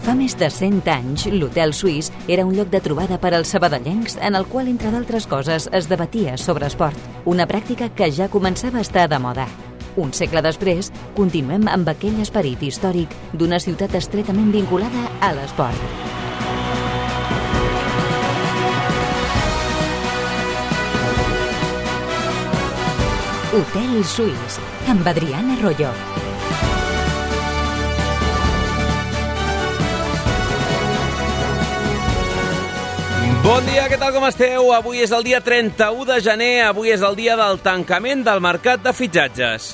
Fa més de 100 anys, l'Hotel Suís era un lloc de trobada per als sabadellencs en el qual, entre d'altres coses, es debatia sobre esport, una pràctica que ja començava a estar de moda. Un segle després, continuem amb aquell esperit històric d'una ciutat estretament vinculada a l'esport. Hotel Suís, amb Adriana Royo. Bon dia, què tal, com esteu? Avui és el dia 31 de gener, avui és el dia del tancament del mercat de fitxatges.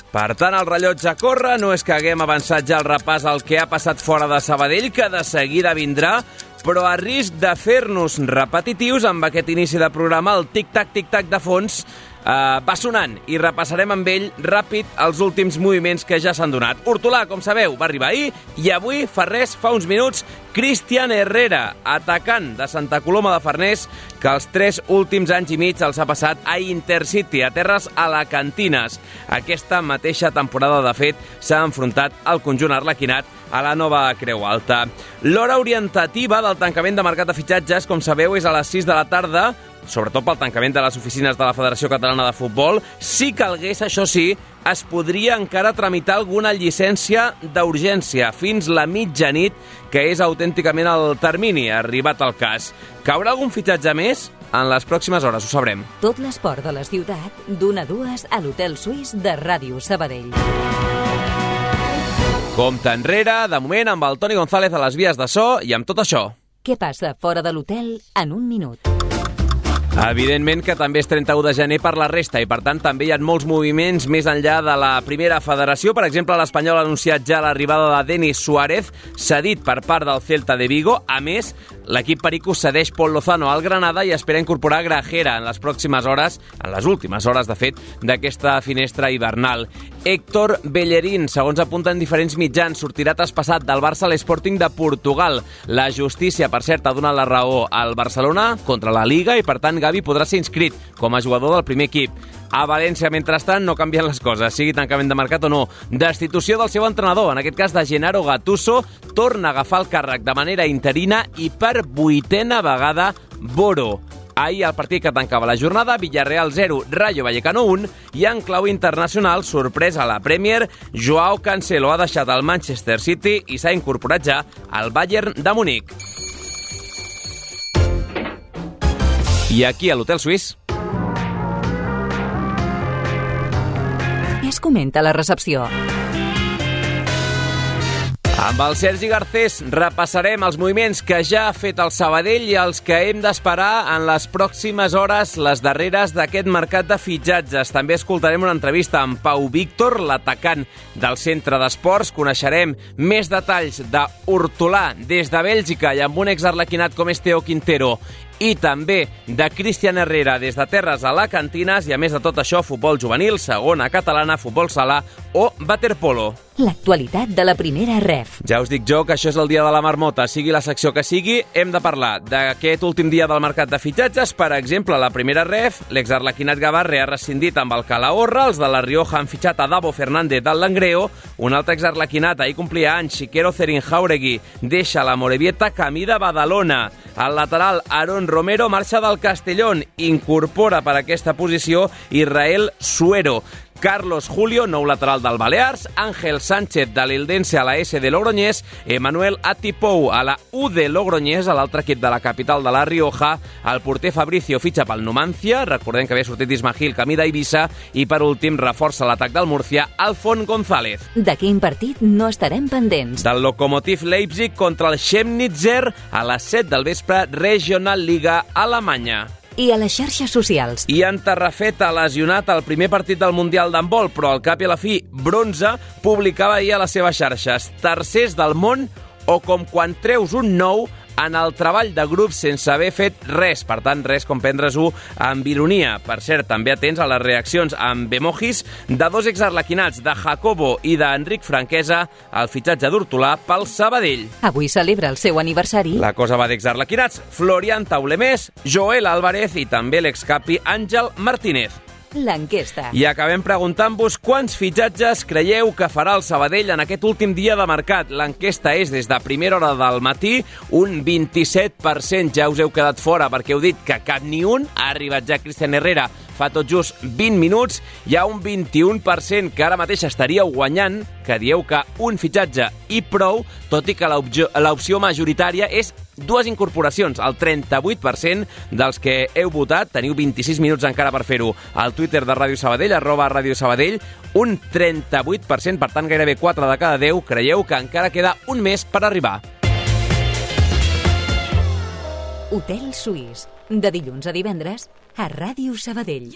Per tant, el rellotge corre, no és que haguem avançat ja el repàs al que ha passat fora de Sabadell, que de seguida vindrà, però a risc de fer-nos repetitius amb aquest inici de programa, el tic-tac de fons va sonant i repassarem amb ell ràpid els últims moviments que ja s'han donat. Hortolà, com sabeu, va arribar ahir i avui, fa uns minuts, Cristian Herrera, atacant de Santa Coloma de Farners, que els 3 últims anys i mig els ha passat a Intercity, a terres alacantines. Aquesta mateixa temporada, de fet, s'ha enfrontat al conjunt arlequinat a la nova Creu Alta. L'hora orientativa del tancament de mercat de fitxatges, com sabeu, és a les 6 de la tarda, sobretot pel tancament de les oficines de la Federació Catalana de Futbol. Si calgués, això sí, es podria encara tramitar alguna llicència d'urgència fins la mitjanit, que és autènticament el termini arribat al cas. Caurà algun fitxatge més? En les pròximes hores ho sabrem. Tot l'esport de la ciutat, d'1 a 2 a l'Hotel Suís de Ràdio Sabadell. Compte enrere, de moment, amb el Toni González a les vies de so i amb tot això. Què passa fora de l'hotel en un minut? Evidentment que també és 31 de gener per la resta i, per tant, també hi ha molts moviments més enllà de la primera federació. Per exemple, l'Espanyol ha anunciat ja l'arribada de Denis Suárez, cedit per part del Celta de Vigo. A més, l'equip perico cedeix Pol Lozano al Granada i espera incorporar Grajera en les pròximes hores, en les últimes hores, de fet, d'aquesta finestra hivernal. Héctor Bellerín, segons apunten diferents mitjans, sortirà traspassat del Barça a l'Sporting de Portugal. La justícia, per cert, ha donat la raó al Barcelona contra la Liga i, per tant, Gavi podrà ser inscrit com a jugador del primer equip. A València, mentrestant, no canvien les coses, sigui tancament de mercat o no. Destitució del seu entrenador, en aquest cas de Gennaro Gattuso, torna a agafar el càrrec de manera interina i per 8a vegada Boro. Ahir el partit que tancava la jornada, Villarreal 0, Rayo Vallecano 1, i en clau internacional, sorpresa a la Premier, Joao Cancelo ha deixat el Manchester City i s'ha incorporat ja al Bayern de Munic. I aquí a l'Hotel Suís. Es comenta a la recepció. Amb el Sergi Garcés repassarem els moviments que ja ha fet el Sabadell i els que hem d'esperar en les pròximes hores, les darreres d'aquest mercat de fitxatges. També escoltarem una entrevista amb Pau Víctor, l'atacant del Centre d'Esports. Coneixerem més detalls d'Hortolà des de Bèlgica i amb un exarlequinat com és Teo Quintero, i també de Cristian Herrera des de terres alacantines, i a més de tot això, futbol juvenil, segona catalana, futbol sala o waterpolo. L'actualitat de la primera ref. Ja us dic jo que això és el dia de la marmota. Sigui la secció que sigui, hem de parlar d'aquest últim dia del mercat de fitxatges. Per exemple, la primera ref, l'exarlequinat Gavarre ha rescindit amb el Calahorra, els de la Rioja han fitxat a Davo Fernández del Langreo, un altre exarlequinat, ahir complia anys, Xiquero Cerin-Jauregui, deixa la Morevieta camí de Badalona. El lateral Aaron Romero marxa del Castellón, incorpora per aquesta posició Israel Suero. Carlos Julio, nou lateral del Balears, Ángel Sánchez de l'Eldense a la S de Logroñés, Emmanuel Atipou a la U de Logroñés, a l'altre equip de la capital de la Rioja, el porter Fabricio fitxa pel Numancia, recordem que havia sortit Ismail camí d'Eivissa, i per últim reforça l'atac del Murcia, Alfon González. De quin partit no estarem pendents? Del Lokomotiv Leipzig contra el Chemnitzer a les 7 del vespre, Regional Liga Alemanya. I a les xarxes socials. Ian Tarrafeta, lesionat al primer partit del Mundial d'handbol, però al cap i a la fi bronze, publicava ahir a les seves xarxes: tercers del món, o com quan treus un nou en el treball de grup sense haver fet res. Per tant, res com prendre's-ho amb ironia. Per cert, també atents a les reaccions amb emojis de dos exarlequinats, de Jacobo i d'Enric Franquesa, al fitxatge d'Hortolà pel Sabadell. Avui celebra el seu aniversari. La cosa va d'exarlequinats: Florian Taulemés, Joel Álvarez i també l'excapi Àngel Martínez. l'enquesta. I acabem preguntant-vos quants fitxatges creieu que farà el Sabadell en aquest últim dia de mercat. L'enquesta és des de primera hora del matí, un 27%. Ja us heu quedat fora perquè heu dit que cap ni un. Ha arribat ja Cristian Herrera fa tot just 20 minuts. Hi ha un 21% que ara mateix estaríeu guanyant, que dieu que un fitxatge i prou, tot i que l'opció majoritària és dues incorporacions. El 38% dels que heu votat, teniu 26 minuts encara per fer-ho, al Twitter de Ràdio Sabadell, @RàdioSabadell, un 38%, per tant gairebé 4 de cada 10, creieu que encara queda un mes per arribar. Hotel Suís, de dilluns a divendres, a Ràdio Sabadell.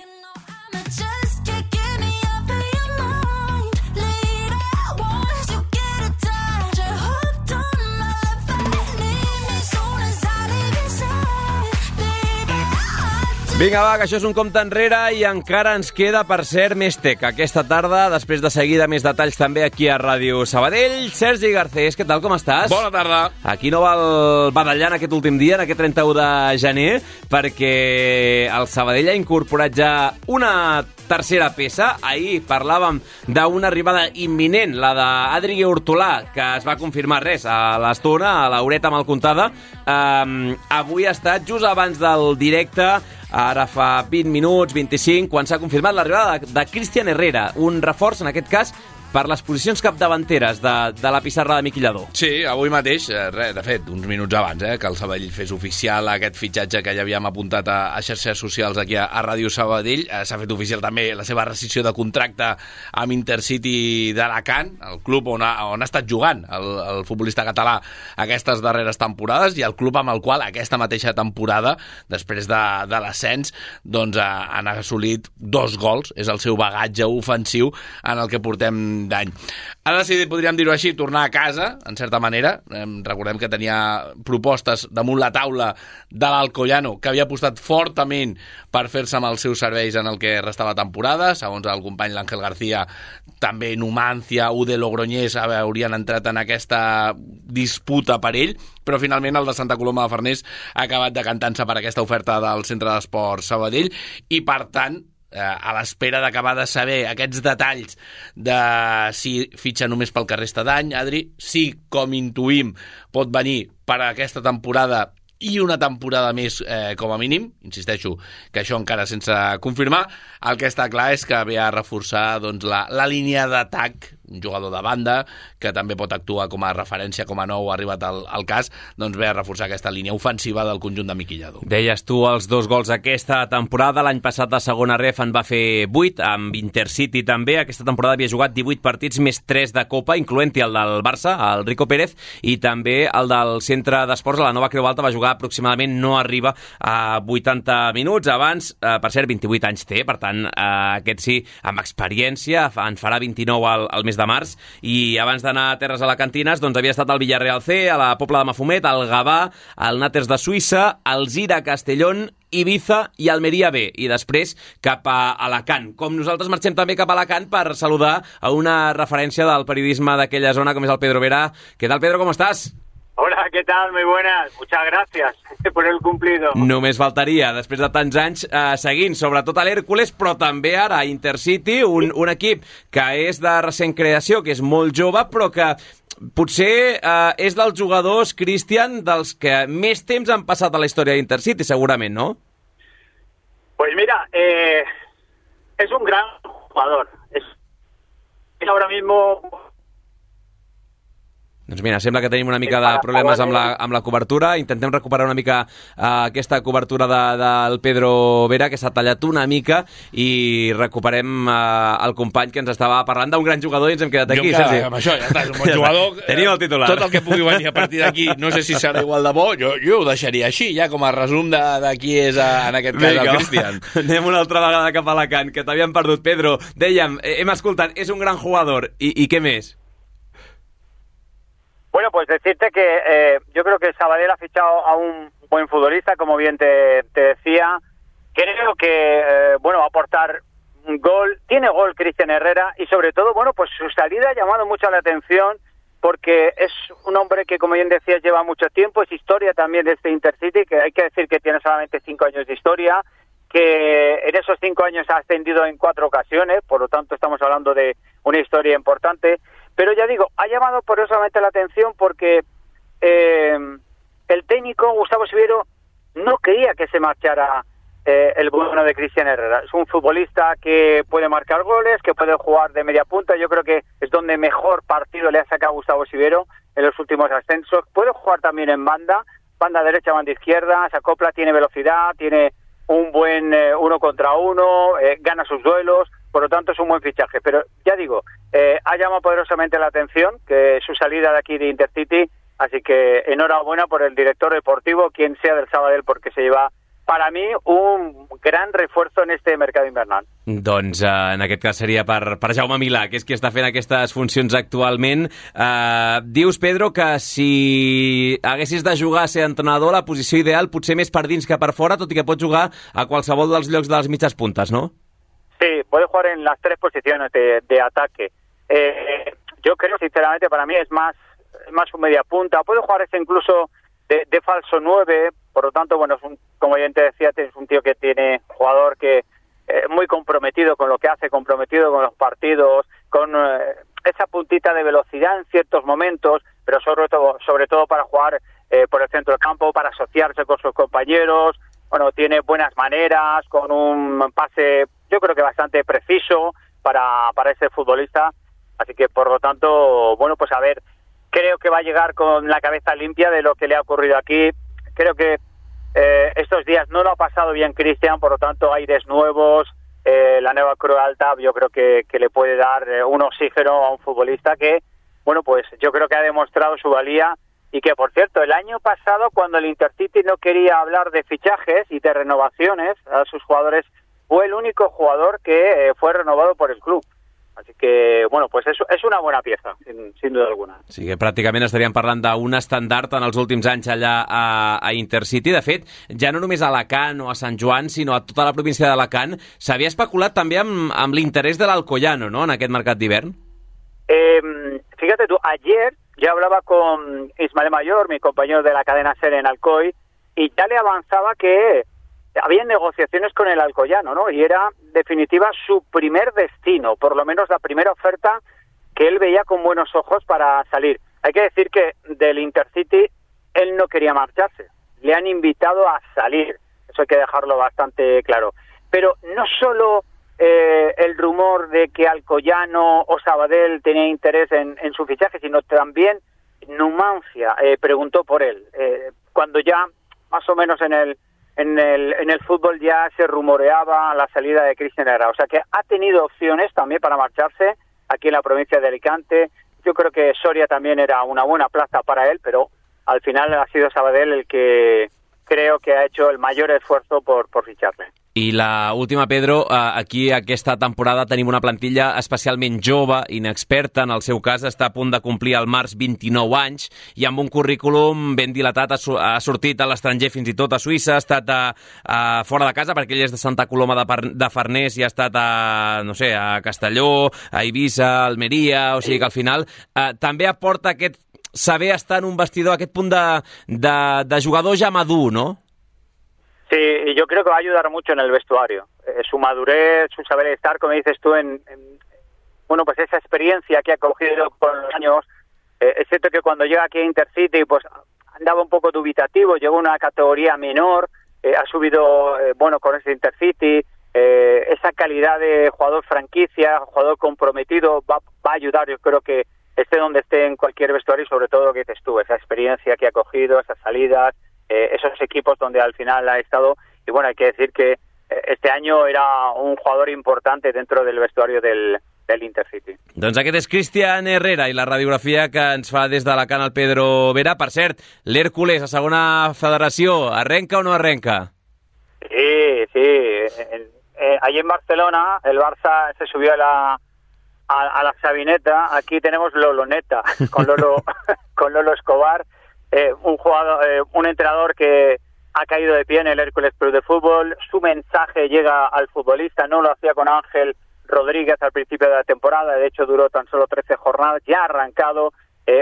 Vinga, va, que això és un compte enrere i encara ens queda, per cert, més tec aquesta tarda, després de seguida més detalls també aquí a Ràdio Sabadell. Sergi Garcés, què tal, com estàs? Bona tarda. Aquí no val badallant aquest últim dia, en aquest 31 de gener, perquè el Sabadell ha incorporat ja una tercera peça. Ahir parlàvem d'una arribada imminent, la d'Adri Hortolà, que es va confirmar a l'estona, a l'horeta mal comptada. Avui ha estat just abans del directe, ara fa 20 minuts, 25, quan s'ha confirmat l'arribada de Cristian Herrera, un reforç, en aquest cas, per les posicions capdavanteres de la pissarra de Miqui Lladó. Sí, avui mateix, de fet, uns minuts abans, que el Sabadell fes oficial aquest fitxatge que ja havíem apuntat a xarxes socials aquí a Ràdio Sabadell. S'ha fet oficial també la seva rescissió de contracte amb Intercity d'Alacant, el club on ha estat jugant el futbolista català aquestes darreres temporades, i el club amb el qual aquesta mateixa temporada, després de l'ascens, doncs han assolit 2 gols. És el seu bagatge ofensiu en el que portem d'any. Ha decidit, podríem dir-ho així, tornar a casa, en certa manera. Recordem que tenia propostes damunt la taula de l'Alcoyano, que havia apostat fortament per fer-se amb els seus serveis en el que restava temporada. Segons el company l'Àngel García, també Numancia, UD Logroñés haurien entrat en aquesta disputa per ell, però finalment el de Santa Coloma de Farners ha acabat decantant-se per aquesta oferta del Centre d'Esports Sabadell, i per tant, a l'espera d'acabar de saber aquests detalls de si fitxa només pel que resta d'any, Adri, sí, com intuïm, pot venir per a aquesta temporada i una temporada més com a mínim. Insisteixo que això encara sense confirmar. El que està clar és que ve a reforçar la línia d'atac, un jugador de banda que també pot actuar com a referència, com a nou ha arribat al cas, doncs ve a reforçar aquesta línia ofensiva del conjunt de Miqui Lladó. Deies tu els 2 gols aquesta temporada. L'any passat de segona ref en va fer 8, amb Intercity també. Aquesta temporada havia jugat 18 partits més 3 de Copa, incloent-hi el del Barça, el Rico Pérez, i també el del Centre d'Esports a la Nova Creu Alta. Va jugar aproximadament, no arriba a 80 minuts. Abans, per cert, 28 anys té, per tant, aquest sí, amb experiència, en farà 29 al mes de març, i abans d'anar a terres alacantines, doncs havia estat al Villarreal C, a la Pobla de Mafumet, al Gavà, al Nàters de Suïssa, al Zira Castellón, Ibiza i Almeria B, i després cap a Alacant. Com nosaltres marxem també cap a Alacant per saludar a una referència del periodisme d'aquella zona, com és el Pedro Vera. Què tal, Pedro, com estàs? Hola, ¿qué tal? Muy buenas. Muchas gracias por el cumplido. Només faltaria, després de tants anys seguint, sobretot a l'Hèrcules, però també ara a Intercity, un equip que és de recent creació, que és molt jove, però que potser és dels jugadors, Cristian, dels que més temps han passat a la història d'Intercity, segurament, ¿no? Pues mira, es un gran jugador. Es ahora mismo... Doncs mira, sembla que tenim una mica de problemes amb la cobertura. Intentem recuperar una mica aquesta cobertura del Pedro Vera, que s'ha tallat una mica, i recuperem el company que ens estava parlant d'un gran jugador i ens hem quedat aquí. Amb això ja està, és un bon jugador. Tenim el titular. Tot el que pugui venir a partir d'aquí, no sé si serà igual de bo, jo ho deixaria així, ja com a resum de qui és, en aquest cas, el Cristian. Anem una altra vegada cap a Alacant, que t'havíem perdut. Pedro, dèiem, hem escoltat, és un gran jugador, i què més? Bueno, pues decirte que yo creo que Sabadell ha fichado a un buen futbolista, como bien te decía. Creo que, va a aportar un gol. Tiene gol Cristian Herrera y sobre todo, pues su salida ha llamado mucho la atención porque es un hombre que, como bien decías, lleva mucho tiempo. Es historia también de este Intercity, que hay que decir que tiene solamente 5 años de historia. que en esos 5 años ha ascendido en 4 ocasiones, por lo tanto estamos hablando de una historia importante, pero ya digo, ha llamado poderosamente la atención porque el técnico Gustavo Siviero no quería que se marchara el bueno de Cristian Herrera. Es un futbolista que puede marcar goles, que puede jugar de media punta. Yo creo que es donde mejor partido le ha sacado Gustavo Siviero en los últimos ascensos. Puede jugar también en banda derecha, banda izquierda, se acopla, tiene velocidad, tiene un buen 1 contra 1, gana sus duelos, por lo tanto es un buen fichaje. Pero ya digo, ha llamado poderosamente la atención que su salida de aquí de Intercity, así que enhorabuena por el director deportivo, quien sea del Sabadell, porque se lleva, para mi, un gran refuerzo en este mercat invernal. Doncs en aquest cas seria per Jaume Milà, que és qui està fent aquestes funcions actualment. Dius, Pedro, que si haguessis de jugar a ser entrenador, la posició ideal potser més per dins que per fora, tot i que pots jugar a qualsevol dels llocs de les mitges puntes, ¿no? Sí, puede jugar en las 3 posiciones de ataque. Yo creo, sinceramente, para mí es más un media punta. Puede jugar incluso de falso 9, por lo tanto, bueno, como ya te decía, es un tío que tiene jugador que muy comprometido con lo que hace, comprometido con los partidos, con esa puntita de velocidad en ciertos momentos, pero sobre todo para jugar por el centro del campo, para asociarse con sus compañeros. Bueno, tiene buenas maneras, con un pase, yo creo que bastante preciso para ese futbolista. Así que, por lo tanto, bueno, pues a ver, creo que va a llegar con la cabeza limpia de lo que le ha ocurrido aquí. Creo que estos días no lo ha pasado bien Cristian, por lo tanto, aires nuevos, la nueva Creu Alta, yo creo que le puede dar un oxígeno a un futbolista que, bueno, pues yo creo que ha demostrado su valía y que, por cierto, el año pasado, cuando el Intercity no quería hablar de fichajes y de renovaciones a sus jugadores, fue el único jugador que fue renovado por el club. Así que, bueno, pues és una bona pieza, sin duda alguna. Sí, que pràcticament estaríem parlant d'un estandard en els últims anys allà a Intercity. De fet, ja no només a Alacant o a Sant Joan, sinó a tota la província d'Alacant, s'havia especulat també amb l'interès de l'Alcoyano, ¿no?, en aquest mercat d'hivern. Fíjate tú, ayer ya hablaba con Ismael Mayor, mi compañero de la cadena SER en Alcoy, y ya le avanzaba que había negociaciones con el Alcoyano, ¿no? Y era, en definitiva, su primer destino, por lo menos la primera oferta que él veía con buenos ojos para salir. Hay que decir que del Intercity él no quería marcharse, le han invitado a salir, eso hay que dejarlo bastante claro. Pero no solo el rumor de que Alcoyano o Sabadell tenía interés en su fichaje, sino también Numancia preguntó por él. Cuando ya, más o menos en el fútbol ya se rumoreaba la salida de Cristian Herrera. O sea que ha tenido opciones también para marcharse aquí en la provincia de Alicante. Yo creo que Soria también era una buena plaza para él, pero al final ha sido Sabadell el que creo que ha hecho el mayor esfuerzo por ficharle. I la última, Pedro, aquí aquesta temporada tenim una plantilla especialment jove, inexperta, en el seu cas està a punt de complir al març 29 anys i amb un currículum ben dilatat, ha sortit a l'estranger fins i tot a Suïssa, ha estat fora de casa perquè ell és de Santa Coloma de Farners i ha estat no sé, a Castelló, a Eivissa, a Almeria, o sigui que al final també aporta aquest saber estar en un vestidor, aquest punt de jugador ja madur, no? Sí, y yo creo que va a ayudar mucho en el vestuario. Su madurez, su saber estar, como dices tú, bueno, pues esa experiencia que ha cogido con los años. Es cierto que cuando llega aquí a Intercity, pues andaba un poco dubitativo, llegó a una categoría menor, ha subido, bueno, con ese Intercity, esa calidad de jugador franquicia, jugador comprometido, va a ayudar, yo creo que esté donde esté en cualquier vestuario, y sobre todo lo que dices tú, esa experiencia que ha cogido, esas salidas, esos equipos donde al final ha estado. Y bueno, hay que decir que este año era un jugador importante dentro del vestuario del Intercity. Doncs aquest és Cristian Herrera i la radiografia que ens fa des d'Alacant el Pedro Vera. Per cert, l'Hèrcules, a segona federació, arrenca o no arrenca? Sí. Allí en Barcelona el Barça se subió a la Sabineta. Aquí tenemos Loloneta con Lolo Escobar. Un jugador, un entrenador que ha caído de pie en el Hércules Club de Fútbol. Su mensaje llega al futbolista, no lo hacía con Ángel Rodríguez al principio de la temporada, de hecho duró tan solo 13 jornadas, ya ha arrancado.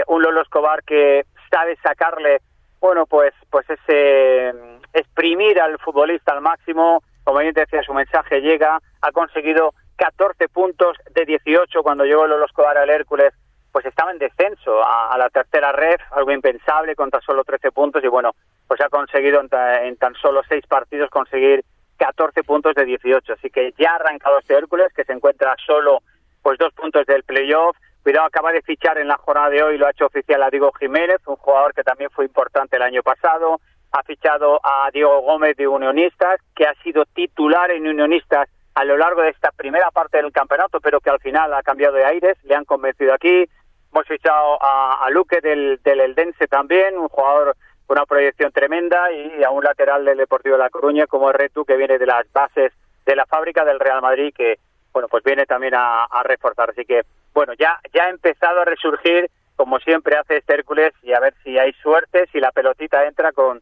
Un Lolo Escobar que sabe sacarle, bueno, pues ese exprimir al futbolista al máximo, como bien te decía, su mensaje llega, ha conseguido 14 puntos de 18 cuando llegó Lolo Escobar al Hércules, pues estaba en descenso a la tercera ref, algo impensable, con tan solo 13 puntos, y bueno, pues ha conseguido en tan solo 6 partidos conseguir 14 puntos de 18, así que ya ha arrancado este Hércules, que se encuentra solo pues 2 puntos del playoff. Cuidado, acaba de fichar en la jornada de hoy, lo ha hecho oficial a Diego Jiménez, un jugador que también fue importante el año pasado. Ha fichado a Diego Gómez de Unionistas, que ha sido titular en Unionistas a lo largo de esta primera parte del campeonato, pero que al final ha cambiado de aires, le han convencido aquí. Hemos fichado a Luque del Eldense también, un jugador con una proyección tremenda, y a un lateral del Deportivo de La Coruña como Retu, que viene de las bases de la fábrica del Real Madrid, que bueno, pues viene también a reforzar. Así que bueno, ya ha empezado a resurgir, como siempre hace este Hércules, y a ver si hay suerte, si la pelotita entra con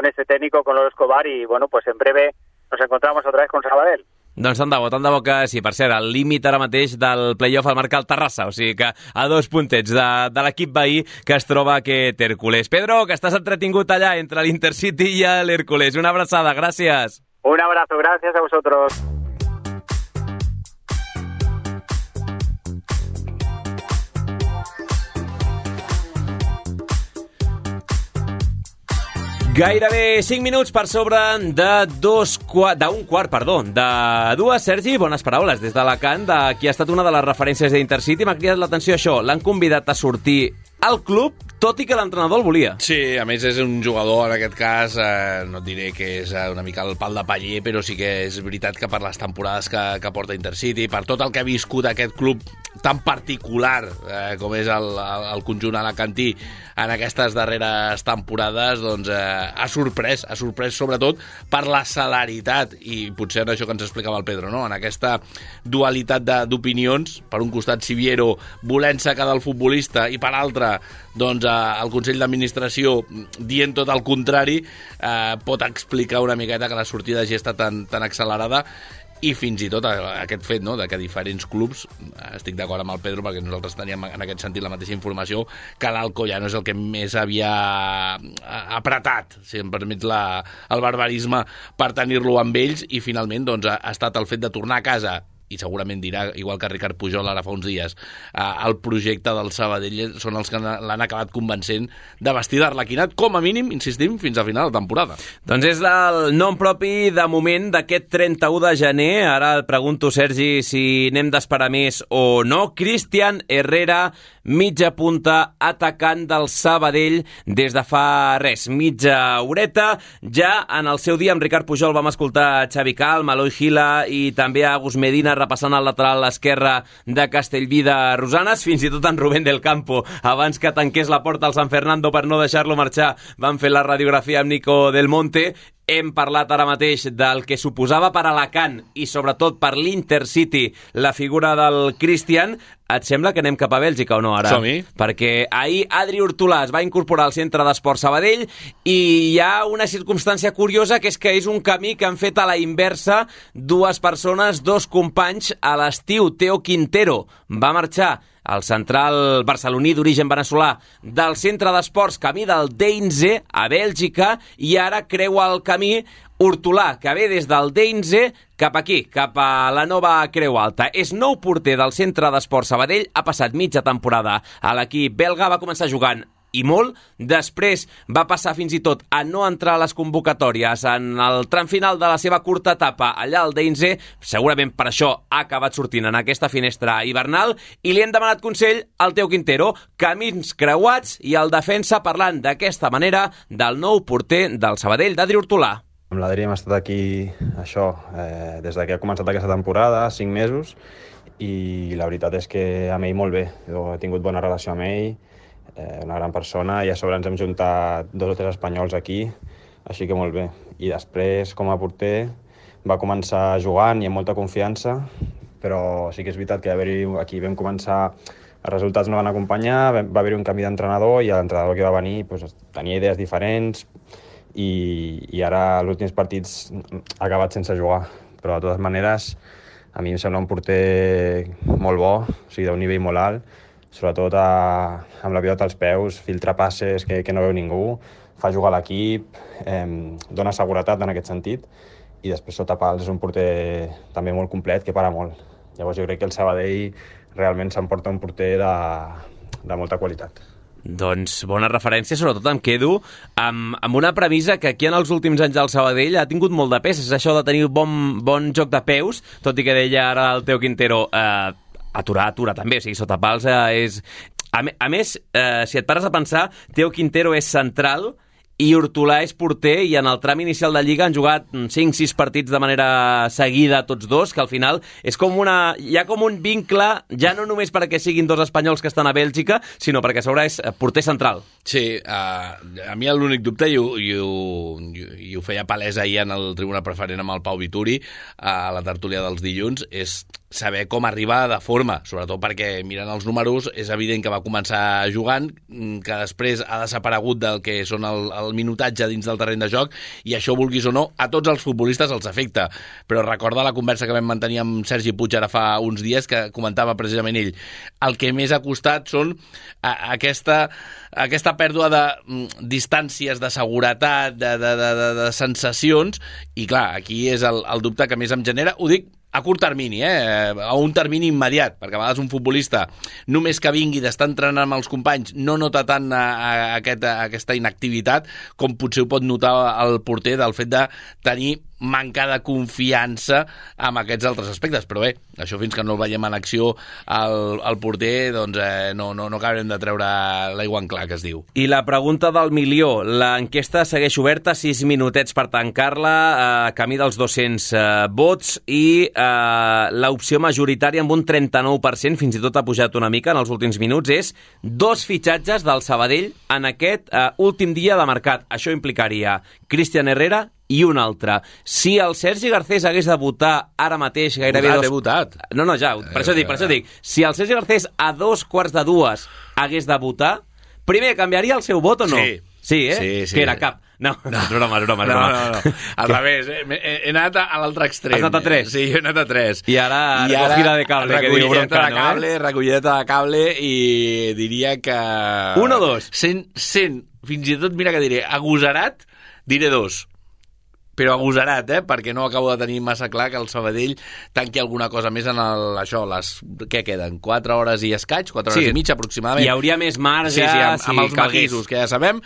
ese técnico, con Lolo Escobar, i bueno, pues en breve nos encontramos otra vez con Sabadell. Doncs tant de bo que sí. Per cert, el límit ara mateix del playoff el marca el Terrassa, o sigui que a 2 puntets de l'equip veí que es troba aquest Hércules. Pedro, que estàs entretingut allà entre l'Intercity i l'Hércules. Una abraçada, gràcies. Un abrazo, gracias a vosotros. Gairebé 5 minuts per sobre d'un quart, de dues. Sergi, bones paraules des d'Alacant, de qui ha estat una de les referències d'Intercity. M'ha cridat l'atenció això, l'han convidat a sortir al club, tot i que l'entrenador el volia. Sí, a més és un jugador, en aquest cas, no et diré que és una mica el pal de paller, però sí que és veritat que per les temporades que porta Intercity, per tot el que ha viscut aquest club tan particular com és el conjunt alacantí en aquestes darreres temporades, doncs ha sorprès sobretot per la celeritat, i potser en això que ens explicava el Pedro, no? En aquesta dualitat d'opinions, per un costat Siviero volent-se quedar el futbolista, i per l'altre doncs el Consell d'Administració dient tot el contrari, pot explicar una miqueta que la sortida hagi estat tan accelerada. I fins i tot aquest fet, no?, de que diferents clubs, estic d'acord amb el Pedro perquè nosaltres teníem en aquest sentit la mateixa informació, que l'Alcoyano és el que més havia apretat, si em permets el barbarisme, per tenir-lo amb ells, i finalment doncs, ha estat el fet de tornar a casa, i segurament dirà, igual que Ricard Pujol ara fa uns dies, el projecte del Sabadell són els que l'han acabat convencent de vestir d'arlequinat, com a mínim, insistim, fins a final de temporada. Doncs és el nom propi de moment d'aquest 31 de gener. Ara et pregunto, Sergi, si n'hem d'esperar més o no. Cristian Herrera, mitja punta, atacant del Sabadell des de fa mitja horeta. Ja en el seu dia amb Ricard Pujol vam escoltar Xavi Calm, Eloi Gila i també Agus Medina repassant el lateral esquerre de Castellví de Rosanes, fins i tot en Rubén del Campo, abans que tanqués la porta al San Fernando per no deixar-lo marxar, van fer la radiografia amb Nico Del Monte. Hem parlat ara mateix del que suposava per Alacant i sobretot per l'Intercity la figura del Cristian. Et sembla que anem cap a Bèlgica o no ara? Som-hi. Perquè ahir Adri Hortolà es va incorporar al Centre d'Esport Sabadell i hi ha una circumstància curiosa, que és un camí que han fet a la inversa dues persones, dos companys. A l'estiu, Teo Quintero va marxar, el central barceloní d'origen veneçolà, del Centre d'Esports camí del Deinze a Bèlgica, i ara creua el camí Hortolà, que ve des del Deinze cap aquí, cap a la nova Creu Alta. És nou porter del Centre d'Esport Sabadell, ha passat mitja temporada a l'equip belga, va començar jugant i molt, després va passar fins i tot a no entrar a les convocatòries en el tram final de la seva curta etapa allà al Deinze, segurament per això ha acabat sortint en aquesta finestra hivernal, i li hem demanat consell al Teo Quintero, camins creuats, i el defensa parlant d'aquesta manera del nou porter del Sabadell, d'Adri Hortolà. Amb l'Adri hem estat aquí, des que ha començat aquesta temporada, 5 mesos, i la veritat és que amb ell molt bé. Jo he tingut bona relació amb ell, una gran persona, i a sobre ens hem juntat 2 o 3 espanyols aquí, així que molt bé. I després, com a porter, va començar jugant i amb molta confiança, però sí que és veritat que aquí vam començar, els resultats no van acompanyar, va haver-hi un canvi d'entrenador, i l'entrenador que va venir tenia idees diferents, i ara els últims partits ha acabat sense jugar, però de totes maneres a mi em sembla un porter molt bo, o sigui, d'un nivell molt alt, sobretot amb la pilota als peus, filtra passes que no veu ningú, fa jugar l'equip, dona seguretat en aquest sentit, i després sota pals és un porter també molt complet, que para molt. Llavors jo crec que el Sabadell realment s'emporta un porter de molta qualitat. Doncs bona referència, sobretot em quedo amb una premissa que aquí en els últims anys el Sabadell ha tingut molt de pes, és això de tenir bon joc de peus, tot i que deia ara el Teo Quintero, aturar també, o sigui, sota pals és... A més, si et pares a pensar, Teo Quintero és central i Hortolà és porter, i en el tram inicial de Lliga han jugat 5-6 partits de manera seguida tots dos, que al final és com hi ha com un vincle, ja no només perquè siguin dos espanyols que estan a Bèlgica, sinó perquè a sobre és porter central. Sí, a mi l'únic dubte, i ho feia palès ahir en el Tribuna Preferent amb el Pau Vituri, a la tertúlia dels dilluns, és saber com arribar de forma, sobretot perquè mirant els números és evident que va començar jugant, que després ha desaparegut del que són el minutatge dins del terreny de joc, i això, vulguis o no, a tots els futbolistes els afecta. Però recorda la conversa que vam mantenir amb Sergi Puig ara fa uns dies, que comentava precisament ell. El que més ha costat són aquesta pèrdua de distàncies, de seguretat, de sensacions, i clar, aquí és el dubte que més em genera. Ho dic a curt termini, a un termini immediat, perquè a vegades un futbolista, només que vingui d'estar entrenant amb els companys, no nota tant aquesta inactivitat com potser ho pot notar el porter del fet de tenir manca de confiança amb aquests altres aspectes. Però bé, això fins que no el veiem en acció el porter, doncs no acabarem de treure l'aigua en clar, que es diu. I la pregunta del milió, l'enquesta segueix oberta, 6 minutets per tancar-la, camí dels 200 vots, i l'opció majoritària amb un 39%, fins i tot ha pujat una mica en els últims minuts, és 2 fitxatges del Sabadell en aquest últim dia de mercat. Això implicaria Cristian Herrera i un altre. Si el Sergi Garcés hagués de votar ara mateix gairebé... Votat. No, ja, per això dic. Si el Sergi Garcés a 2:45 hagués de votar, primer, canviaria el seu vot o no? Sí, Sí. Que era cap. No, és broma. No. Al revés, he anat a l'altre extrem. Has anat a 3? Sí, he anat a 3. I ara recogida de cable, que diu Broncano, recollideta de cable, i diria que... 1 o 2? Sent, fins i tot, mira que diré, agosarat, diré 2. Però agosarat, perquè no acabo de tenir massa clar que el Sabadell tanqui alguna cosa més en què queden? 4 hores i escaig? 4 hores i mitja, aproximadament. Hi hauria més marge, amb els matisos, que ja sabem.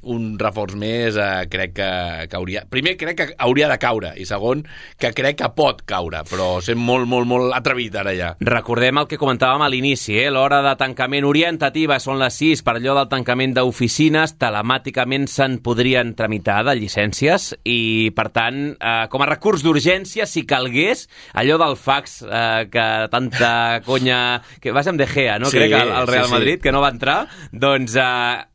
Un reforç més crec que hauria... Primer, crec que hauria de caure, i segon, que crec que pot caure, però sent molt, molt, molt atrevit ara ja. Recordem el que comentàvem a l'inici, l'hora de tancament orientativa són les 6, per allò del tancament d'oficines, telemàticament se'n podrien tramitar de llicència, i per tant, com a recurs d'urgència, si calgués, allò del fax que tanta conya... que vas amb De Gea, no? Sí, crec, al Real Madrid, sí. que no va entrar, doncs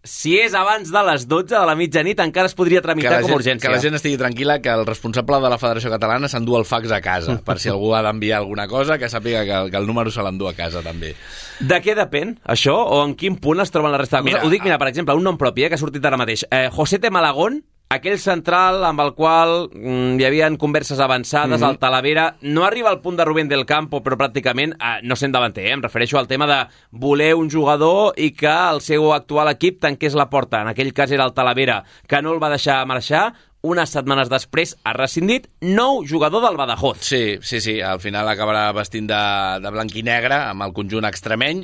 si és abans de les 12 de la mitjanit encara es podria tramitar com a urgència. Que la gent estigui tranquil·la, que el responsable de la Federació Catalana s'endú el fax a casa, per si algú ha d'enviar alguna cosa, que sàpiga que el número se l'endú a casa també. De què depèn això? O en quin punt es troben la resta de coses? Ho dic, per exemple, un nom propi, que ha sortit ara mateix. José T. Malagón, aquell central amb el qual hi havia converses avançades, al Talavera, no arriba al punt de Rubén del Campo, però pràcticament no sent davanter, em refereixo al tema de voler un jugador i que el seu actual equip tanqués la porta. En aquell cas era el Talavera, que no el va deixar marxar. Unes setmanes després ha rescindit, nou jugador del Badajoz. Sí, al final acabarà vestint de blanc i negre amb el conjunt extremeny.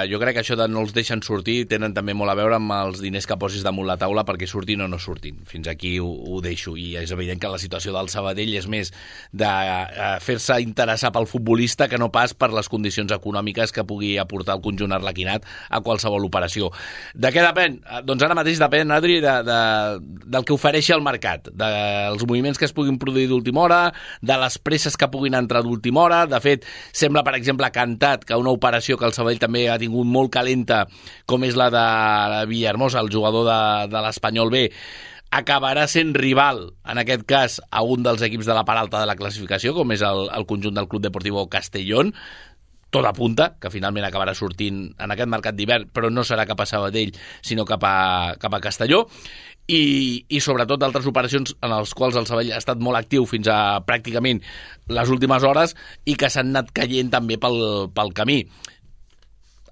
Jo crec que això de no els deixen sortir tenen també molt a veure amb els diners que posis damunt la taula perquè surtin o no surtin. Fins aquí ho deixo, i és evident que la situació del Sabadell és més de fer-se interessar pel futbolista que no pas per les condicions econòmiques que pugui aportar el conjunt arlequinat a qualsevol operació. De què depèn? Doncs ara mateix depèn, Adri, del que ofereixi el mercat, dels moviments que es puguin produir d'última hora, de les presses que puguin entrar d'última hora. De fet, sembla, per exemple, cantat que una operació que el Sabadell també ha tingut molt calenta, com és la de Villahermosa, el jugador de l'Espanyol B, acabarà sent rival, en aquest cas, a un dels equips de la part alta de la classificació, com és el conjunt del Club Deportivo Castellón. Tot apunta que finalment acabarà sortint en aquest mercat d'hivern, però no serà cap a Sabadell, sinó cap a Castelló. I sobretot altres operacions en les quals el Sabadell ha estat molt actiu fins a pràcticament les últimes hores i que s'han anat caient també pel camí.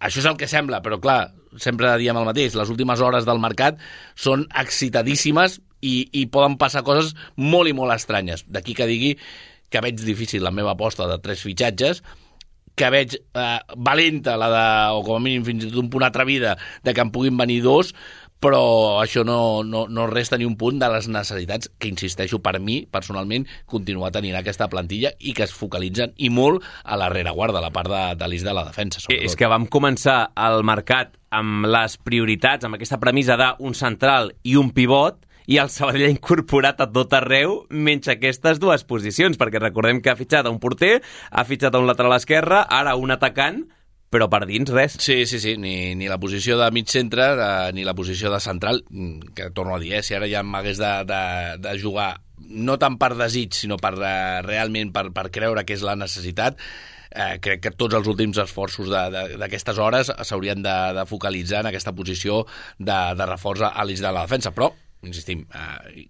Això és el que sembla, però clar, sempre diem el mateix, les últimes hores del mercat són excitadíssimes i poden passar coses molt i molt estranyes. D'aquí que digui que veig difícil la meva aposta de 3 fitxatges, que veig valenta o com a mínim fins i tot un punt atrevida de que en puguin venir 2, però això no resta ni un punt de les necessitats que, insisteixo, per mi, personalment, continuar tenint aquesta plantilla i que es focalitzen i molt a la rereguarda, a la part de l'eix de la defensa. Sobretot. És que vam començar el mercat amb les prioritats, amb aquesta premissa d'un central i un pivot, i el Sabadell ha incorporat a tot arreu menys aquestes 2 posicions, perquè recordem que ha fitxat un porter, ha fitxat un lateral esquerre, ara un atacant, però per dins res. Sí, ni la posició de mig centre ni la posició de central, que torno a dir, si ara ja m'hagués de jugar no tant per desig, sinó per realment per creure que és la necessitat, crec que tots els últims esforços d'aquestes hores s'haurien de focalitzar en aquesta posició de reforç a l'eix de la defensa, però insistim,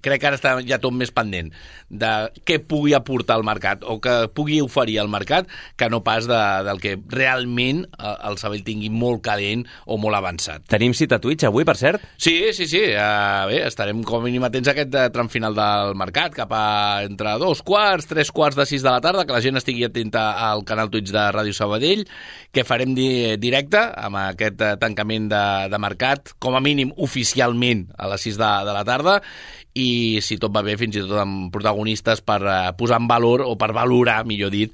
crec que ara està ja tot més pendent de què pugui aportar el mercat o que pugui oferir el mercat que no pas del que realment el Sabadell tingui molt calent o molt avançat. Tenim cita a Twitch avui, per cert? Sí. Bé, estarem com a mínim atents a aquest tram final del mercat, cap a entre 2:15, 3:15 de 6 de la tarda, que la gent estigui atenta al canal Twitch de Ràdio Sabadell, que farem directe amb aquest tancament de mercat, com a mínim oficialment a les 6 de la tarda, i si tot va bé fins i tot amb protagonistes per posar en valor o per valorar, millor dit,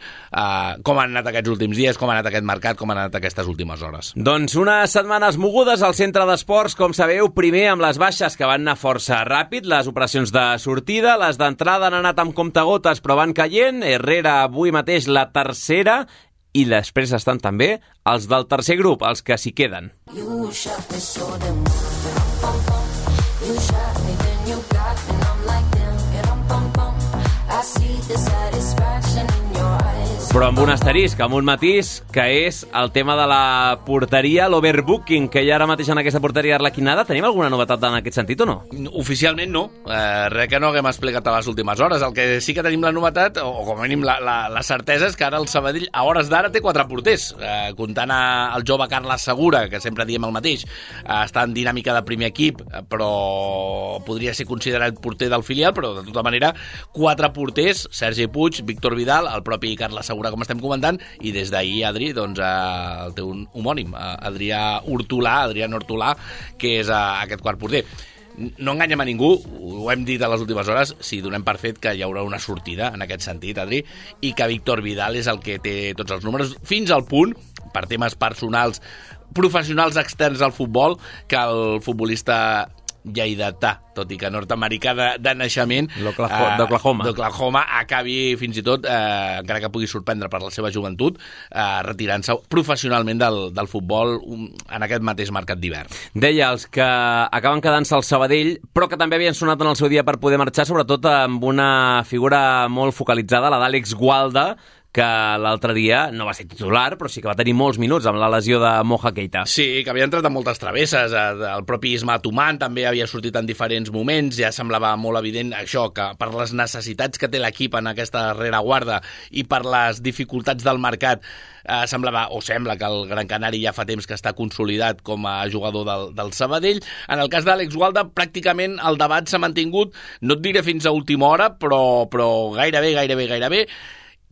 com han anat aquests últims dies, com ha anat aquest mercat, com han anat aquestes últimes hores. Doncs unes setmanes mogudes al centre d'esports, com sabeu, primer amb les baixes que van anar força ràpid, les operacions de sortida, les d'entrada han anat amb comptagotes però van caient, Herrera avui mateix la tercera, i després estan també els del tercer grup, els que s'hi queden. Però amb un asterisc, amb un matís, que és el tema de la porteria, l'overbooking, que hi ha ara mateix en aquesta porteria arlequinada. Tenim alguna novetat en aquest sentit o no? Oficialment no. Res que no haguem explicat a les últimes hores. El que sí que tenim la novetat, o com a mínim la certesa, és que ara el Sabadell, a hores d'ara, té 4 porters. Comptant el jove Carles Segura, que sempre diem el mateix, està en dinàmica de primer equip, però podria ser considerat porter del filial, però de tota manera 4 porters, Sergi Puig, Víctor Vidal, el propi Carles Segura, com estem comentant, i des d'ahir, Adri, doncs el teu homònim, Adrià Hortolà, que és aquest quart porter. No enganyem a ningú, ho hem dit a les últimes hores, si donem per fet que hi haurà una sortida en aquest sentit, Adri, i que Víctor Vidal és el que té tots els números, fins al punt, per temes personals, professionals externs al futbol, que el futbolista lleidatà, tot i que nord-americà de naixement d'Oklahoma acabi fins i tot, encara que pugui sorprendre per la seva joventut, retirant-se professionalment del futbol en aquest mateix mercat d'hivern. Deia, els que acaben quedant-se al Sabadell, però que també havien sonat en el seu dia per poder marxar, sobretot amb una figura molt focalitzada, la d'Àlex Gualda, que l'altre dia no va ser titular, però sí que va tenir molts minuts amb la lesió de Moja Keita. Sí, que havia entrat en moltes travesses. El propi Isma Tuman també havia sortit en diferents moments. Ja semblava molt evident això, que per les necessitats que té l'equip en aquesta rereguarda i per les dificultats del mercat, sembla que el Gran Canari ja fa temps que està consolidat com a jugador del Sabadell. En el cas d'Àlex Gualda, pràcticament el debat s'ha mantingut, no et diré fins a última hora, però gairebé.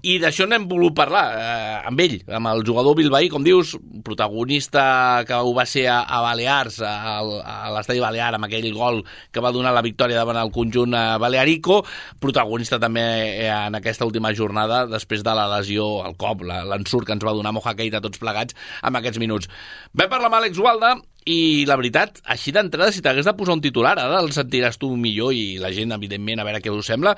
I d'això n'hem volgut parlar amb ell, amb el jugador bilbaí, com dius, protagonista que ho va ser a Balears, a l'estadi Balear, amb aquell gol que va donar la victòria davant el conjunt balearico, protagonista també en aquesta última jornada, després de la lesió, el cop, l'ensurt que ens va donar Moja Keita tots plegats amb aquests minuts. Vam parlar amb Àlex Gualda, i la veritat, així d'entrada, si t'hagués de posar un titular, ara el sentiràs tu millor i la gent, evidentment, a veure què us sembla,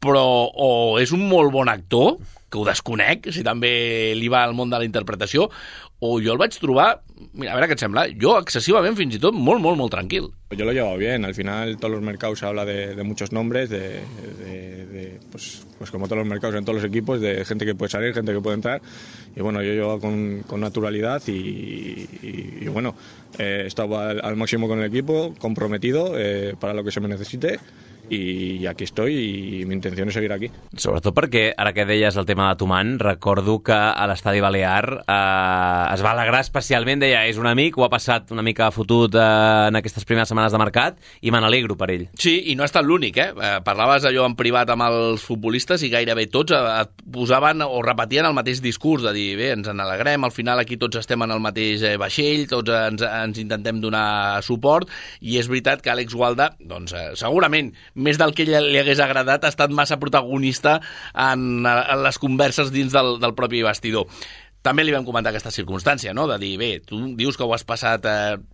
però o és un molt bon actor, que ho desconec, si també li va al món de la interpretació, o jo el vaig trobar, mira, a ver qué te sembla, yo excesivamente, fins i tot, molt tranquil. Yo lo he llevado bien, al final todos los mercados se habla de muchos nombres, pues como todos los mercados en todos los equipos, de gente que puede salir, gente que puede entrar, y bueno, yo he llevado con naturalidad y bueno, he estado al máximo con el equipo, comprometido para lo que se me necesite, y aquí estoy y mi intención es seguir aquí. Sobretot perquè, ara que deies el tema de Tuman, recordo que a l'estadi Balear es va alegrar especialment, deia, és un amic, ho ha passat una mica fotut en aquestes primeres setmanes de mercat i me n'alegro per ell. Sí, i no ha estat l'únic, Parlaves allò en privat amb els futbolistes i gairebé tots et posaven o repetien el mateix discurs de dir, bé, ens n'alegrem, al final aquí tots estem en el mateix vaixell, tots ens intentem donar suport, i és veritat que Àlex Gualda, doncs, segurament, més del que li hagués agradat, ha estat massa protagonista en les converses dins del propi vestidor. També li vam comentar aquesta circumstància, no?, de dir, bé, tu dius que ho has passat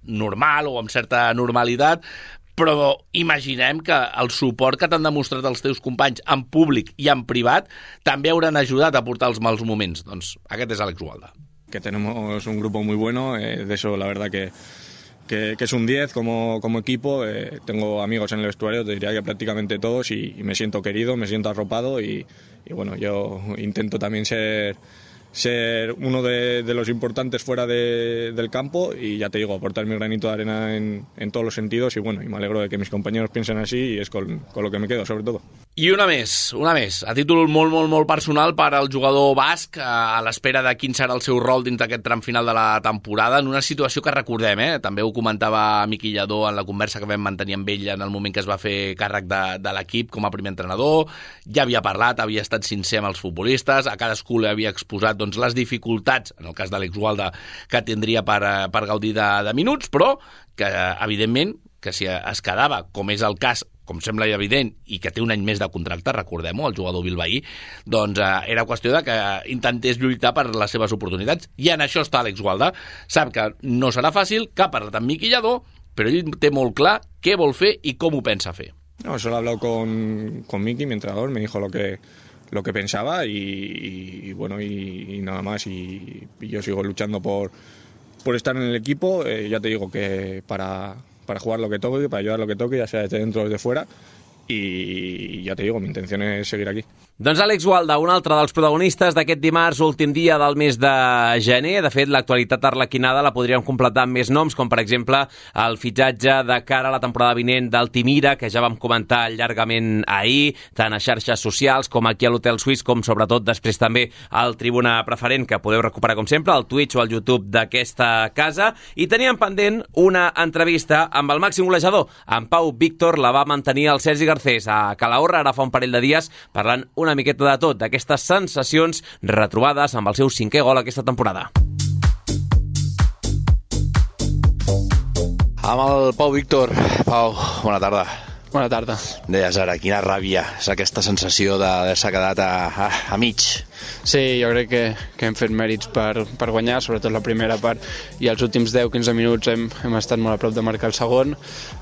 normal o amb certa normalitat, però imaginem que el suport que t'han demostrat els teus companys en públic i en privat també hauran ajudat a portar els mals moments. Doncs aquest és Àlex Gualda. Que tenemos un grupo muy bueno, de eso la verdad que es un 10 como equipo. Tengo amigos en el vestuario, te diría que prácticamente todos, y me siento querido, me siento arropado y bueno, yo intento también ser uno de los importantes fuera del campo y ya te digo, aportar mi granito de arena en todos los sentidos y bueno, y me alegro de que mis compañeros piensen así y es con lo que me quedo, sobre todo. I una més, a títol molt personal per al jugador basc, a l'espera de quin serà el seu rol dins d'aquest tram final de la temporada, en una situació que recordem, també ho comentava Miqui Lladó en la conversa que vam mantenir amb ell en el moment que es va fer càrrec de l'equip com a primer entrenador, ja havia parlat, havia estat sincer amb els futbolistes, a cadascú li havia exposat doncs, les dificultats, en el cas d'Àlex Gualda, que tindria per gaudir de minuts, però que, evidentment, que si es quedava, com és el cas, com sembla evident, i que té un any més de contracte, recordem-ho, el jugador bilbaí, doncs era qüestió de que intentés lluitar per les seves oportunitats. I en això està Àlex Gualda. Sap que no serà fàcil, que ha parlat amb Miqui Lladó, però ell té molt clar què vol fer i com ho pensa fer. No, solo he hablado con Miqui, mi entrenador, me dijo lo que pensaba y bueno, y nada más. Y yo sigo luchando por estar en el equipo. Ya te digo que para jugar lo que toque, para ayudar lo que toque, ya sea desde dentro o desde fuera, y ya te digo, mi intención es seguir aquí. Doncs Àlex Gualda, un altre dels protagonistes d'aquest dimarts, últim dia del mes de gener. De fet, l'actualitat arlequinada la podríem completar amb més noms, com per exemple el fitxatge de cara a la temporada vinent d'Altimira, que ja vam comentar llargament ahir, tant a xarxes socials com aquí a l'Hotel Suís, com sobretot després també al Tribuna Preferent, que podeu recuperar com sempre al Twitch o al YouTube d'aquesta casa. I teníem pendent una entrevista amb el màxim golejador, en Pau Víctor. La va mantenir el Sergi Garcés a Calahorra ara fa un parell de dies, parlant una miqueta de tot, d'aquestes sensacions retrobades amb el seu 5è gol aquesta temporada. Amb el Pau Víctor. Pau, bona tarda. Bona tarda. Deies ara, quina ràbia és aquesta sensació d'haver-se quedat a mig. Sí, jo crec que hem fet mèrits per guanyar, sobretot la primera part, i els últims 10-15 minuts hem estat molt a prop de marcar el segon.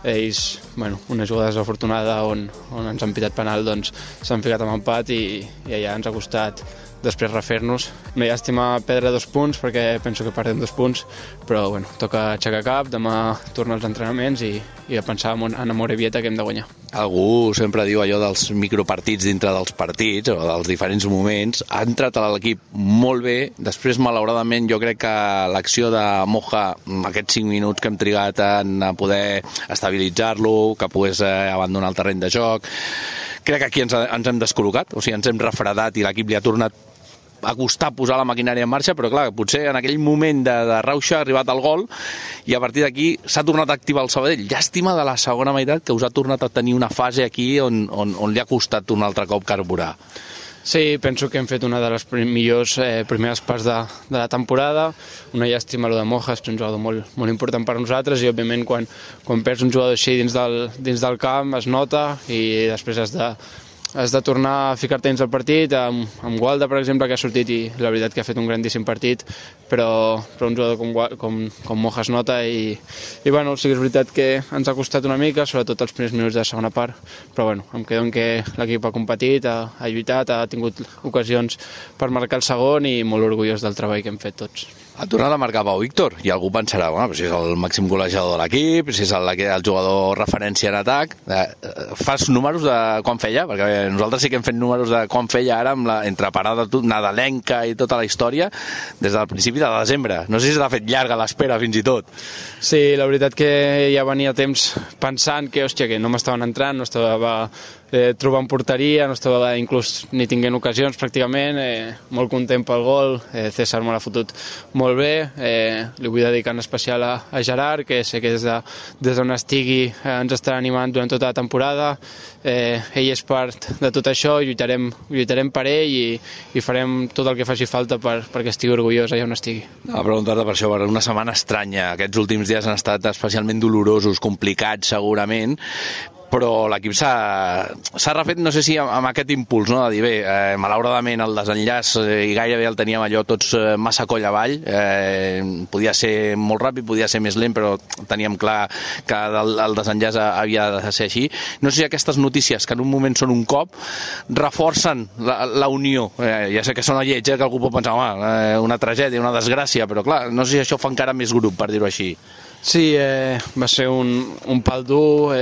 Ells, bueno, una jugada desafortunada on ens han pitat penal, doncs s'han ficat amb empat i allà ens ha costat després refer-nos. No hi ha estima perdre 2 punts perquè penso que perdem 2 punts, però bueno, toca aixecar cap, demà tornar als entrenaments i a pensar en Amorebieta que hem de guanyar. Algú sempre diu allò dels micropartits dintre dels partits o dels diferents moments. Ha entrat a l'equip molt bé, després malauradament jo crec que l'acció de Moja, aquests 5 minuts que hem trigat en poder estabilitzar-lo, que pogués abandonar el terreny de joc, crec que aquí ens hem descol·locat, o sigui, ens hem refredat i l'equip li ha tornat a costar posar la maquinària en marxa, però clar, potser en aquell moment de rauxa ha arribat el gol i a partir d'aquí s'ha tornat a activar el Sabadell. Llàstima de la segona meitat que us ha tornat a tenir una fase aquí on li ha costat un altre cop carburar. Sí, penso que hem fet una de les millors primeres parts de la temporada. Una llàstima lo de Moja, és un jugador molt important per nosaltres i òbviament quan perds un jugador així dins del camp es nota i després has de tornar a ficar-te dins del partit, amb Gualda, per exemple, que ha sortit i la veritat que ha fet un grandíssim partit, però un jugador com Moja es nota i bueno, sí que és veritat que ens ha costat una mica, sobretot els primers minuts de la segona part, però bueno, em quedo en que l'equip ha competit, ha lluitat, ha tingut ocasions per marcar el segon i molt orgullós del treball que hem fet tots. Ha tornat a marcar Pau Víctor i algú pensarà, bueno, si és el màxim golejador de l'equip, si és el jugador referència en atac, fas números de quan feia? Perquè nosaltres sí que hem fet números de quan feia ara amb entre parada nadalenca i tota la història des del principi de desembre. No sé si s'ha fet llarga l'espera fins i tot. Sí, la veritat que ja venia temps pensant que, hòstia, que no m'estaven entrant, no estava trobant porteria, no estava inclús ni tinguent ocasions pràcticament, molt content pel gol, César me l'ha fotut molt bé, li vull dedicar en especial a Gerard, que sé que des d'on estigui ens estarà animant durant tota la temporada, ell és part de tot això, lluitarem per ell i farem tot el que faci falta perquè estigui orgullós allà on estigui. A preguntar-te per això, per una setmana estranya, aquests últims dies han estat especialment dolorosos, complicats segurament, però l'equip s'ha refet, no sé si amb aquest impuls, no? De dir, bé, malauradament el desenllaç i gairebé el teníem allò tots massa coll avall, podia ser molt ràpid, podia ser més lent, però teníem clar que el desenllaç havia de ser així. No sé si aquestes notícies, que en un moment són un cop, reforcen la unió. Ja sé que sona lleig, que algú pot pensar, una tragèdia, una desgràcia, però clar, no sé si això fa encara més grup, per dir-ho així. Sí, va ser un pal dur,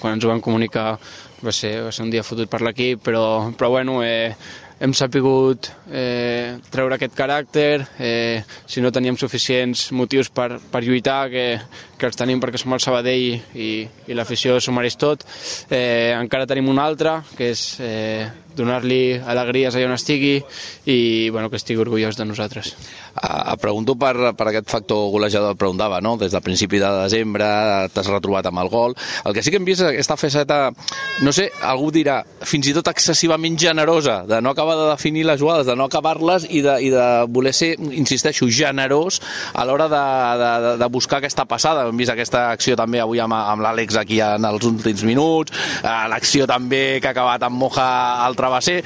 quan ens ho van comunicar va ser un dia fotut per l'equip, però bueno, hem sapigut treure aquest caràcter, si no teníem suficients motius per lluitar, que els tenim perquè som el Sabadell i l'afició s'ho mereix tot, encara tenim un altre, que és donar-li alegries allà on estigui i bueno, que estigui orgullós de nosaltres. Et pregunto per aquest factor golejador, et preguntava, no? Des del principi de desembre t'has retrobat amb el gol. El que sí que hem vist aquesta faceta, no sé, algú dirà, fins i tot excessivament generosa, de no acabar de definir les jugades, de no acabar-les i de voler ser, insisteixo, generós a l'hora de buscar aquesta passada. Hem vist aquesta acció també avui amb l'Àlex aquí en els últims minuts, l'acció també que ha acabat amb Moja al travesser,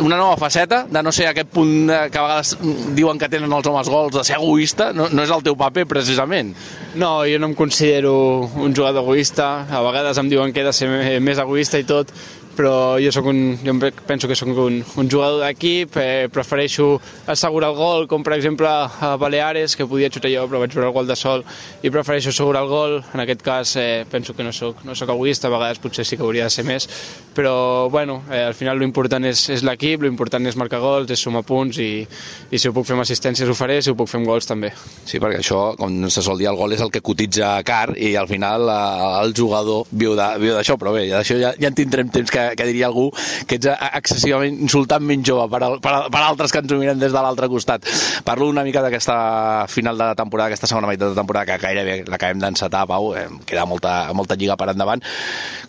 una nova faceta de no ser aquest punt que a vegades diuen que tenen els homes gols, de ser egoista, no és el teu paper precisament. No, jo no em considero un jugador egoista, a vegades em diuen que he de ser més egoista i tot, però jo penso que soc un jugador d'equip, prefereixo assegurar el gol, com per exemple a Baleares, que podia xutar jo però vaig veure el gol de sol i prefereixo assegurar el gol. En aquest cas penso que no soc egoista, a vegades potser sí que hauria de ser més, però bueno, al final l'important és l'equip, l'important és marcar gols, és sumar punts i si ho puc fer amb assistències ho faré, si ho puc fer amb gols també. Sí, perquè això, com se sol dir, el gol és el que cotitza car i al final el jugador viu d'això, però bé, d'això ja en tindrem temps que diria algú que ets excessivament insultantment jove per altres que ens ho miren des de l'altre costat. Parlo una mica d'aquesta final de temporada, aquesta segona meitat de temporada que gairebé l'acabem d'encetar, Pau, queda molta lliga per endavant.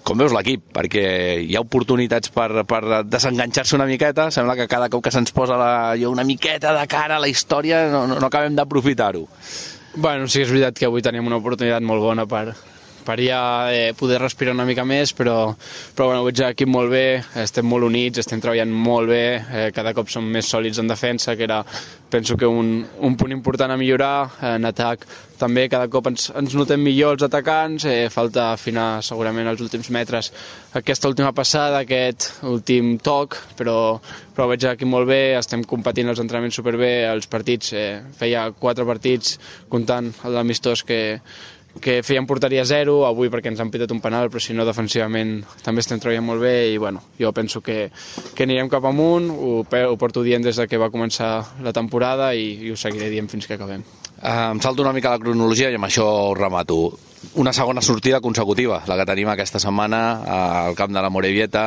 Com veus l'equip? Perquè hi ha oportunitats per desenganxar-se una miqueta, sembla que cada cop que se'ns posa una miqueta de cara a la història no acabem d'aprofitar-ho. Bueno, sí que és veritat que avui tenim una oportunitat molt bona per ja poder respirar una mica més, però bueno, veig l'equip molt bé, estem molt units, estem treballant molt bé, cada cop som més sòlids en defensa, que era, penso que un punt important a millorar, en atac també cada cop ens notem millor els atacants, falta afinar segurament els últims metres aquesta última passada, aquest últim toc, però veig l'equip molt bé, estem competint els entrenaments superbé, els partits, feia 4 partits comptant l'amistós que feien porteria 0, avui perquè ens han pitat un penal, però si no defensivament també estem treballant molt bé i bueno, jo penso que anirem cap amunt, ho porto dient des que va començar la temporada i ho seguiré dient fins que acabem. Em salto una mica la cronologia i amb això ho remato. Una segona sortida consecutiva, la que tenim aquesta setmana al camp de la Morevieta,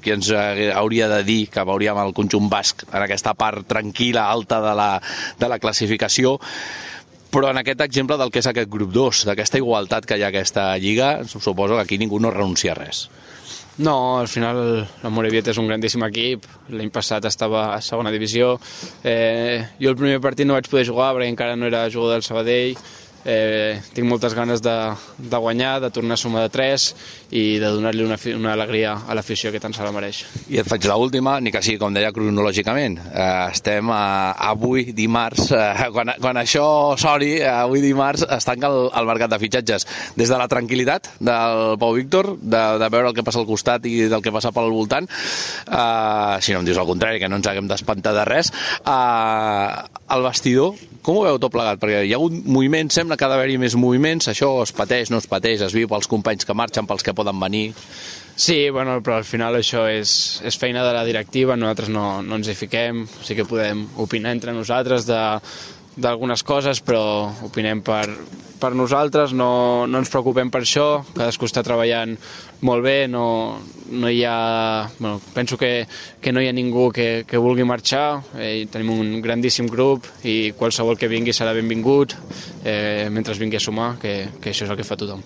qui ens hauria de dir que veuríem el conjunt basc en aquesta part tranquil·la, alta de la classificació, però en aquest exemple del que és aquest grup 2, d'aquesta igualtat que hi ha a aquesta lliga, suposo que aquí ningú no renuncia a res. No, al final la Morevieta és un grandíssim equip, l'any passat estava a segona divisió, jo el primer partit no vaig poder jugar perquè encara no era jugador del Sabadell, tinc moltes ganes de guanyar, de tornar a sumar de 3 i de donar-li una alegria a l'afició que tant se la mereix. I et faig l'última, ni que sigui com deia cronològicament, estem avui dimarts, quan això soni, avui dimarts es tanca el mercat de fitxatges, des de la tranquil·litat del Pau Víctor, de veure el que passa al costat i del que passa pel voltant, si no em dius el contrari, que no ens haguem d'espantar de res, al vestidor, com ho veu tot plegat? Perquè hi ha hagut moviments, sembla que ha d'haver-hi més moviments, això es pateix, no es pateix, es viu pels companys que marxen, pels que poden venir... Sí, bueno, però al final això és feina de la directiva, nosaltres no ens hi fiquem, sí que podem opinar entre nosaltres d'algunes coses, però opinem per nosaltres, no ens preocupem per això, cadascú està treballant molt bé, no hi ha... Bueno, penso que no hi ha ningú que vulgui marxar, tenim un grandíssim grup i qualsevol que vingui serà benvingut, mentre vingui a sumar, que això és el que fa tothom.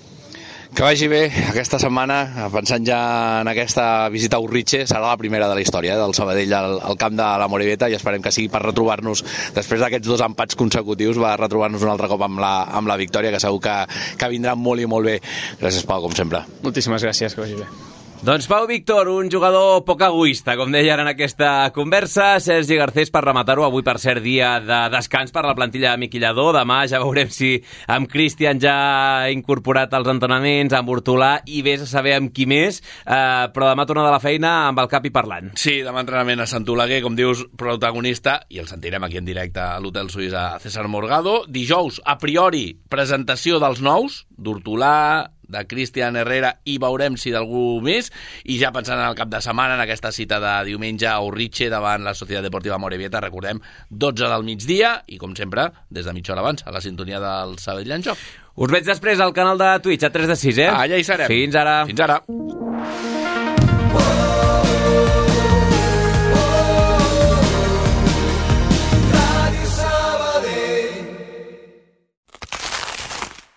Que vagi bé aquesta setmana, pensant ja en aquesta visita a Urritxe, serà la primera de la història del Sabadell al camp de la Morevieta i esperem que sigui per retrobar-nos, després d'aquests 2 empats consecutius, va retrobar-nos un altre cop amb la victòria, que segur que vindrà molt i molt bé. Gràcies, Pau, com sempre. Moltíssimes gràcies, que vagi bé. Doncs Pau Víctor, un jugador poc egoista, com deia ara en aquesta conversa. Sergi Garcés, per rematar-ho, avui per cert dia de descans per la plantilla de Miquillador. Demà ja veurem si amb Cristian ja ha incorporat els entrenaments, amb Hortolà i vés a saber amb qui més, però demà torna de la feina amb el cap i parlant. Sí, demà entrenament a Sant Oleguer, com dius, protagonista, i el sentirem aquí en directe a l'Hotel Suís a César Morgado. Dijous, a priori, presentació dels nous, d'Hortolà, de Cristian Herrera, i veurem si d'algú més, i ja pensant en el cap de setmana, en aquesta cita de diumenge a Urritxe davant la Societat Deportiva Morevieta, recordem, 12 del migdia, i com sempre, des de mitja hora abans, a la sintonia del Sabadell en Joc. Us veig després al canal de Twitch, a 3 de 6, eh? Allà hi serem. Fins ara. Fins ara.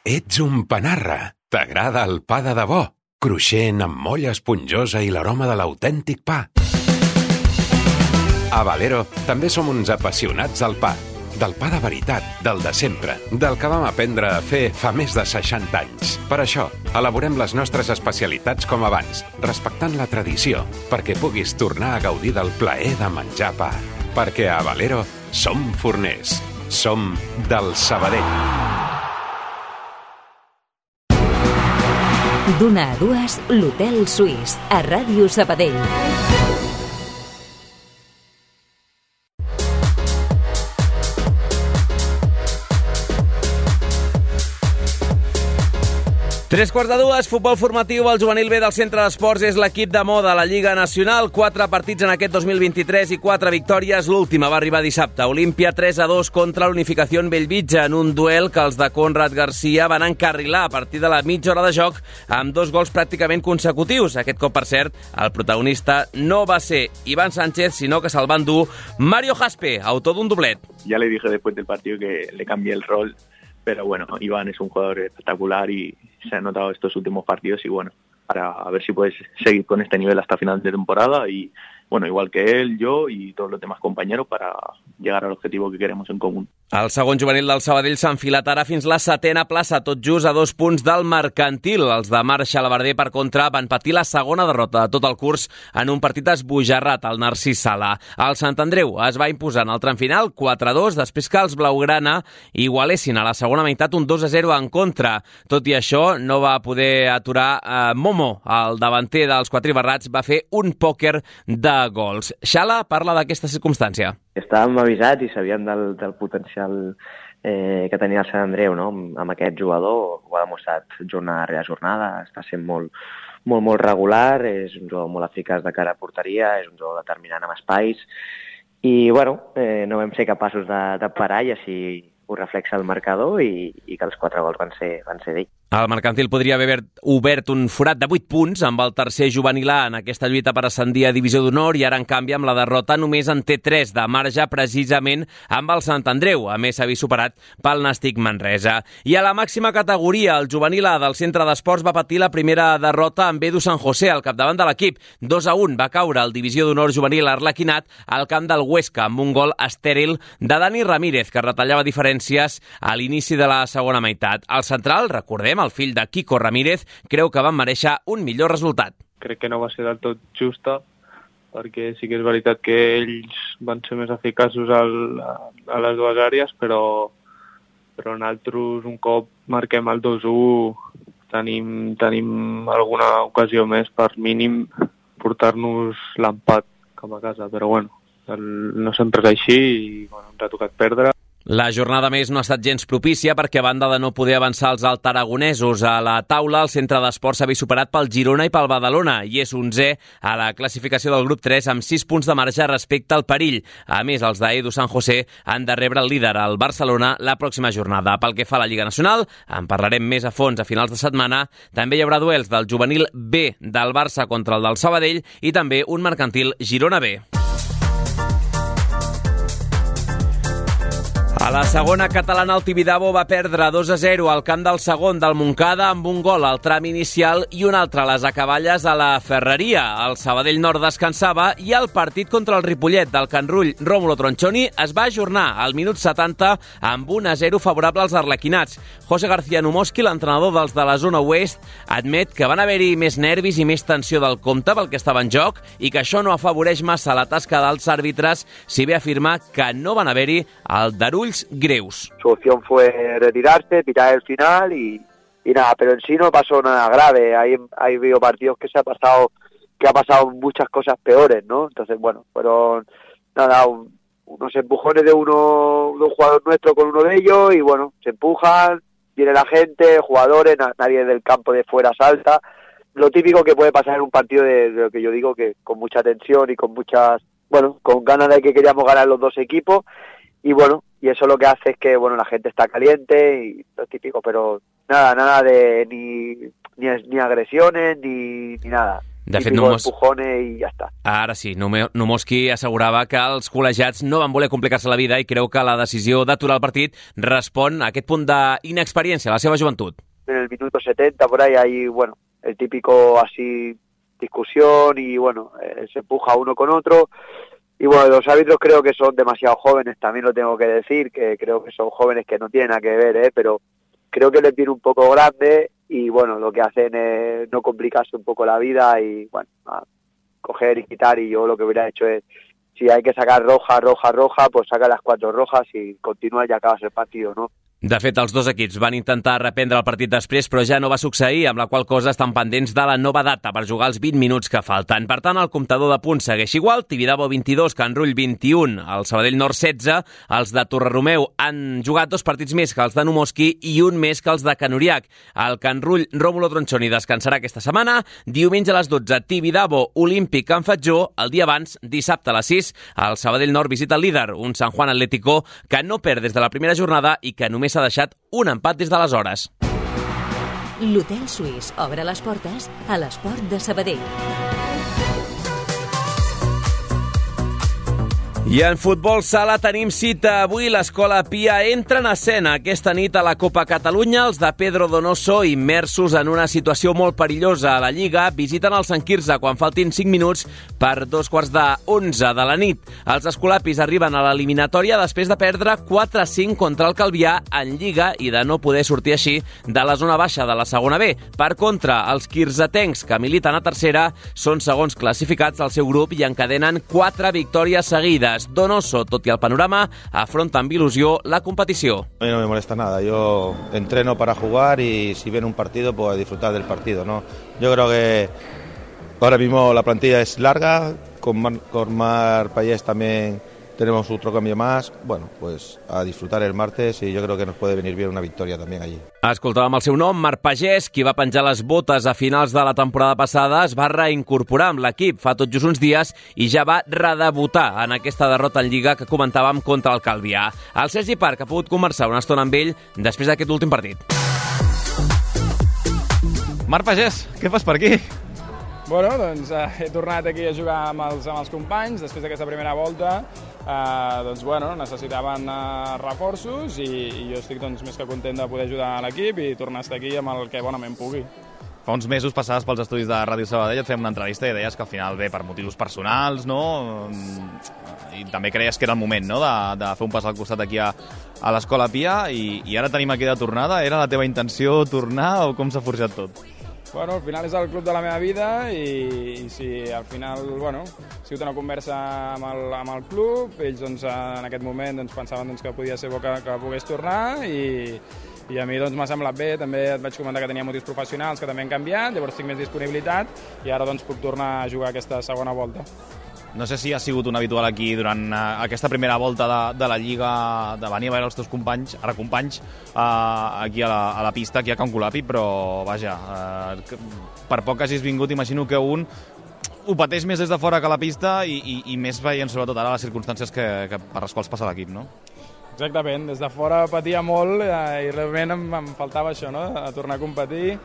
Ets un panarra. T'agrada el pa de debò, cruixent amb molla esponjosa i l'aroma de l'autèntic pa. A Valero també som uns apassionats del pa. Del pa de veritat, del de sempre, del que vam aprendre a fer fa més de 60 anys. Per això, elaborem les nostres especialitats com abans, respectant la tradició, perquè puguis tornar a gaudir del plaer de menjar pa. Perquè a Valero som forners. Som del Sabadell. D'una a dues, l'Hotel Suís, a Ràdio Sabadell. Tres quarts de dues, futbol formatiu, el juvenil B del Centre d'Esports és l'equip de moda a la Lliga Nacional. 4 partits en aquest 2023 i 4 victòries. L'última va arribar dissabte. Olímpia 3-2 contra l'Unificació Bellvitge en un duel que els de Conrad Garcia van encarrilar a partir de la mitja hora de joc amb 2 gols pràcticament consecutius. Aquest cop, per cert, el protagonista no va ser Iván Sánchez, sinó que se'l va endur Mario Jaspe, autor d'un doblet. Ya le dije después del partido que le cambié el rol, pero bueno, Iván es un jugador espectacular y se ha notado estos últimos partidos y bueno, para a ver si puedes seguir con este nivel hasta final de temporada y bueno, igual que él, yo y todos los demás compañeros para llegar al objetivo que queremos en común. El segon juvenil del Sabadell s'ha enfilat ara fins la 7a plaça, tot just a 2 punts del Mercantil. Els de Marc Xalabarder, per contra, van patir la segona derrota de tot el curs en un partit esbojarrat al Narcís Sala. El Sant Andreu es va imposar en el tram final 4-2, després que els blaugrana igualessin a la segona meitat un 2-0 en contra. Tot i això, no va poder aturar Momo, el davanter dels quatribarrats, va fer un pòquer de gols. Xala parla d'aquesta circumstància. Estàvem avisats i sabíem del potencial que tenia el Sant Andreu, no? Amb aquest jugador, ho ha demostrat jornada rere jornada, està sent molt regular, és un jugador molt eficaç de cara a porteria, és un jugador determinant amb espais i bueno, no vam ser capaços de parar i així ho reflexa el marcador i que els 4 gols van ser d'ell. El Mercantil podria haver obert un forat de 8 punts amb el tercer juvenil A en aquesta lluita per ascendir a Divisió d'Honor i ara, en canvi, amb la derrota només en té 3 de marge precisament amb el Sant Andreu, a més s'ha vist superat pel Nàstic Manresa. I a la màxima categoria, el juvenil A del Centre d'Esports va patir la primera derrota amb Edu San José al capdavant de l'equip. 2-1 va caure el Divisió d'Honor juvenil Arlequinat al camp del Huesca amb un gol estèril de Dani Ramírez, que retallava diferències a l'inici de la segona meitat. El central, recordem, el fill de Quico Ramírez, creu que van mereixer un millor resultat. Crec que no va ser del tot justa, perquè sí que és veritat que ells van ser més eficaços a les dues àrees, però nosaltres, un cop marquem el 2-1, tenim alguna ocasió més per mínim portar-nos l'empat cap a casa, però bueno, no sempre és així i bueno, ens ha tocat perdre. La jornada més no ha estat gens propícia perquè a banda de no poder avançar els altaragonesos a la taula, el centre d'esports s'ha vist superat pel Girona i pel Badalona i és 11è a la classificació del grup 3 amb 6 punts de marge respecte al perill. A més, els d'Edu San José han de rebre el líder, el Barcelona, la pròxima jornada. Pel que fa a la Lliga Nacional, en parlarem més a fons a finals de setmana. També hi haurà duels del juvenil B del Barça contra el del Sabadell i també un mercantil Girona B. A la segona catalana, el Tibidabo va perdre 2-0 al camp del segon del Montcada amb un gol al tram inicial i un altre a les acaballes a la Ferreria. El Sabadell Nord descansava i el partit contra el Ripollet del Can Rull Rómulo Tronchoni es va ajornar al minut 70 amb 1-0 favorable als arlequinats. José García Numoski, l'entrenador dels de la zona oest, admet que van haver-hi més nervis i més tensió del compte pel que estava en joc i que això no afavoreix massa la tasca dels àrbitres, si bé afirma que no van haver-hi el darulls greus. Su opción fue retirarse, pitar el final y nada, pero en sí no pasó nada grave. Hay habido partidos que ha pasado muchas cosas peores, ¿no? Entonces, bueno, fueron nada, unos empujones de un jugador nuestro con uno de ellos y bueno, se empujan, viene la gente, jugadores, nadie del campo de fuera salta. Lo típico que puede pasar en un partido de lo que yo digo, que con mucha tensión y con con ganas de que queríamos ganar los dos equipos. Y bueno, y eso lo que hace es que bueno, la gente está caliente y lo típico, pero nada de ni agresiones ni nada. De fet, empujones i ja està. Ara sí, Numoski assegurava que els col·legiats no van voler complicar-se la vida i creu que la decisió d'aturar el partit respon a aquest punt d'inexperiència, a la seva joventut. En el minuto 70, por ahí, hay, bueno, el típico así discusión y bueno, se empuja uno con otro. Y bueno, los árbitros creo que son demasiado jóvenes, también lo tengo que decir, que creo que son jóvenes que no tienen nada que ver, pero creo que les viene un poco grande y bueno, lo que hacen es no complicarse un poco la vida y bueno, coger y quitar, y yo lo que hubiera hecho es, si hay que sacar roja, pues saca las 4 rojas y continúa y acabas el partido, ¿no? De fet, els dos equips van intentar reprendre el partit després, però ja no va succeir, amb la qual cosa estan pendents de la nova data per jugar els 20 minuts que falten. Per tant, el comptador de punts segueix igual, Tibidabo 22, Can Rull 21, el Sabadell Nord 16, els de Torreromeu han jugat 2 partits més que els de Numoski i un més que els de Can Uriac. El Can Rull Rómulo Tronchoni descansarà aquesta setmana, diumenge a les 12, Tibidabo Olímpic Can Fatjó, el dia abans, dissabte a les 6, el Sabadell Nord visita el líder, un San Juan Atlético que no perd des de la primera jornada i que només s'ha deixat un empat des d'aleshores. L'Hotel Suís obre les portes a l'Esport de Sabadell. I en futbol sala tenim cita. Avui l'Escola Pia entra en escena aquesta nit a la Copa Catalunya. Els de Pedro Donoso, immersos en una situació molt perillosa a la Lliga, visiten el Sant Quirze quan faltin 5 minuts per 11:15 de la nit. Els escolapis arriben a l'eliminatòria després de perdre 4-5 contra el Calvià en Lliga i de no poder sortir així de la zona baixa de la segona B. Per contra, els quirzetencs que militen a tercera són segons classificats al seu grup i encadenen 4 victòries seguides. Donoso, tot i el panorama, afronta amb il·lusió la competició. A mí no me molesta nada, yo entreno para jugar y si viene un partido, pues disfrutar del partido, ¿no? Yo creo que ahora mismo la plantilla es larga, con Marc Pallés también tenemos otro cambio más, bueno, pues a disfrutar el martes y yo creo que nos puede venir bien una victoria también allí. Escoltàvem el seu nom, Marc Pagès, qui va penjar les botes a finals de la temporada passada, es va reincorporar amb l'equip fa tot just uns dies i ja va redebutar en aquesta derrota en Lliga que comentàvem contra el Calvià. El Sergi Parc ha pogut conversar una estona amb ell després d'aquest últim partit. Marc Pagès, què fas per aquí? Bueno, doncs he tornat aquí a jugar amb els companys després d'aquesta primera volta. Doncs bueno, necessitaven reforços i jo estic més que content de poder ajudar a l'equip i tornar a estar aquí amb el que bonament pugui. Fa uns mesos passaves pels estudis de Ràdio Sabadell, et fèiem una entrevista i deies que al final ve per motius personals, no? I també creies que era el moment, no?, de fer un pas al costat aquí a l'Escola Pia i ara tenim aquí de tornada. Era la teva intenció tornar o com s'ha forjat tot? Bueno, al final és el club de la meva vida i si al final, bueno, ha sigut una conversa amb el club, ells en aquest moment pensaven que podia ser bo que pogués tornar i a mi m'ha semblat bé. També et vaig comentar que tenia motius professionals que també han canviat, llavors tinc més disponibilitat i ara puc tornar a jugar aquesta segona volta. No sé si ha sigut un habitual aquí durant aquesta primera volta de la Lliga, de venir a veure els teus companys, ara companys, aquí a la pista, aquí a Can Colapi, però vaja, per poc que hagis vingut, imagino que un ho pateix més des de fora que a la pista i més veient sobretot ara les circumstàncies per les quals passa l'equip, no? Exactament, des de fora patia molt i realment em faltava això, no? A tornar a competir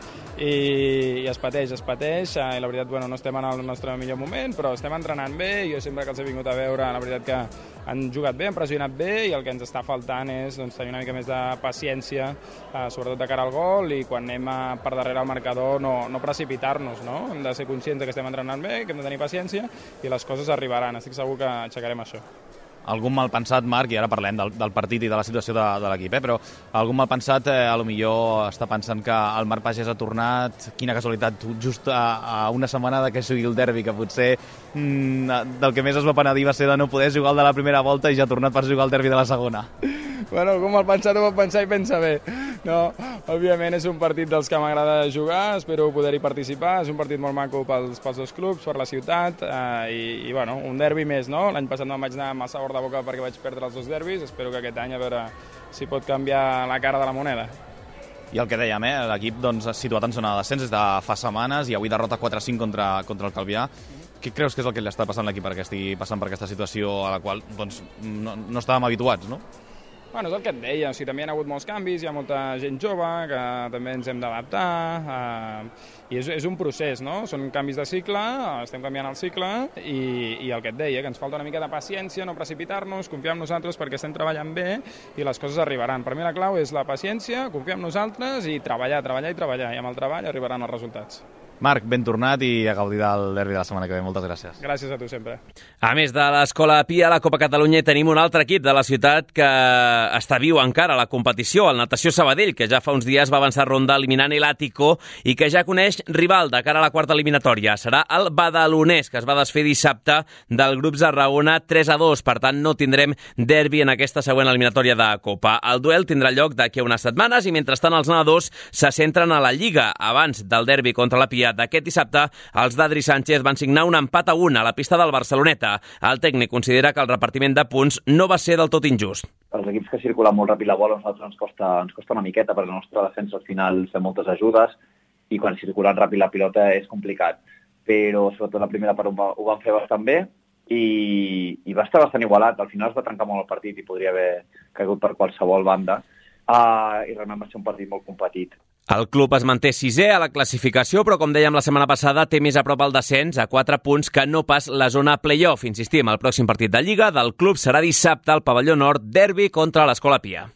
i es pateix i la veritat, bueno, no estem en el nostre millor moment, però estem entrenant bé i jo sempre que els he vingut a veure, la veritat que han jugat bé, han pressionat bé i el que ens està faltant és tenir una mica més de paciència, sobretot de cara al gol i quan anem per darrere al marcador no precipitar-nos, no? Hem de ser conscients que estem entrenant bé, que hem de tenir paciència i les coses arribaran, estic segur que aixecarem això. Algun mal pensat, Marc, i ara parlem del partit i de la situació de l'equip, però algun mal pensat, a lo millor està pensant que el Marc Pagès ha tornat, quina casualitat, just a una setmana que sigui el derbi, que potser del que més es va penedir va ser de no poder jugar el de la primera volta i ja ha tornat per jugar el derbi de la segona. Bueno, algú mal pensat ho pot pensar i pensa bé. No, òbviament és un partit dels que m'agrada jugar, espero poder-hi participar, és un partit molt maco pels dos clubs, per la ciutat, i bueno, un derbi més, no? L'any passat me'n vaig anar amb el sabor de boca perquè vaig perdre els 2 derbis, espero que aquest any a veure si pot canviar la cara de la moneda. I el que dèiem, l'equip situat en zona de descens des de fa setmanes i avui derrota 4-5 contra el Calvià. Què creus que és el que li està passant a l'equip perquè estigui passant per aquesta situació a la qual no estàvem habituats, no? Bueno, és el que et deia, també hi ha hagut molts canvis, hi ha molta gent jove que també ens hem d'adaptar i és un procés, no? Són canvis de cicle, estem canviant el cicle i el que et deia, que ens falta una mica de paciència, no precipitar-nos, confiar en nosaltres perquè estem treballant bé i les coses arribaran. Per mi la clau és la paciència, confiar en nosaltres i treballar i amb el treball arribaran els resultats. Marc, ben tornat i a gaudir del derbi de la setmana que ve. Moltes gràcies. Gràcies a tu sempre. A més de l'Escola Pia, a la Copa Catalunya tenim un altre equip de la ciutat que està viu encara a la competició, el Natació Sabadell, que ja fa uns dies va avançar ronda eliminant l'Àtico i que ja coneix rival de cara a la quarta eliminatòria. Serà el Badalonès, que es va desfer dissabte del grup Tarragona 3-2. Per tant, no tindrem derbi en aquesta següent eliminatòria de Copa. El duel tindrà lloc d'aquí a unes setmanes i mentrestant els nedadors se centren a la Lliga. Abans del derbi contra la Pia d'aquest dissabte, els d'Adri Sánchez van signar un empat a 1 a la pista del Barceloneta. El tècnic considera que el repartiment de punts no va ser del tot injust. Els equips que circulen molt ràpid la bola, a nosaltres ens costa una miqueta, perquè la nostra defensa al final fem moltes ajudes i quan circulen ràpid la pilota és complicat. Però sobretot la primera part ho van fer bastant bé i va estar bastant igualat. Al final es va trencar molt el partit i podria haver caigut per qualsevol banda. I realment va ser un partit molt competit. El club es manté 6è a la classificació, però com dèiem la setmana passada, té més a prop el descens a 4 punts que no pas la zona play-off. Insistim, el pròxim partit de Lliga del club serà dissabte al pavelló nord, derbi contra l'Escola Pia.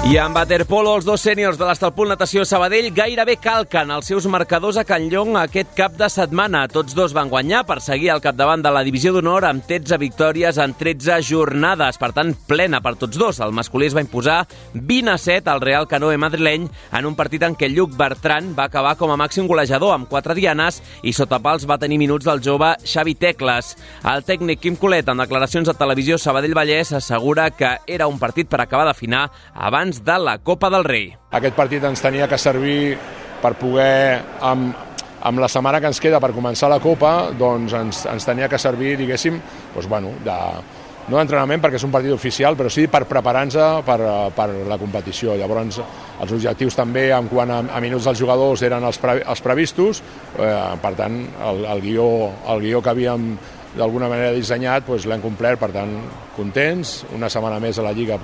I en waterpolo, els 2 sèniors de l'Estalpul Natació Sabadell gairebé calquen els seus marcadors a Can Llong aquest cap de setmana. Tots 2 van guanyar per seguir al capdavant de la divisió d'honor amb 13 victòries en 13 jornades. Per tant, plena per tots 2. El masculí es va imposar 20-7 al Real Canoe madrileny en un partit en què Lluc Bertran va acabar com a màxim golejador amb 4 dianes i sota pals va tenir minuts del jove Xavi Tecles. El tècnic Quim Colet, en declaracions a Televisió Sabadell Vallès, assegura que era un partit per acabar d'afinar abans de la Copa del Rei. Aquest partit ens tenia que servir per poder, amb la setmana que ens queda per començar la Copa, doncs ens tenia que servir, diguéssim, no d'entrenament perquè és un partit oficial, però sí per preparar-nos per la competició. Llavors, els objectius també en quant a minuts dels jugadors eren els previstos, per tant, el guió que havíem d'alguna manera dissenyat l'hem complert, per tant, contents, una setmana més a la Lliga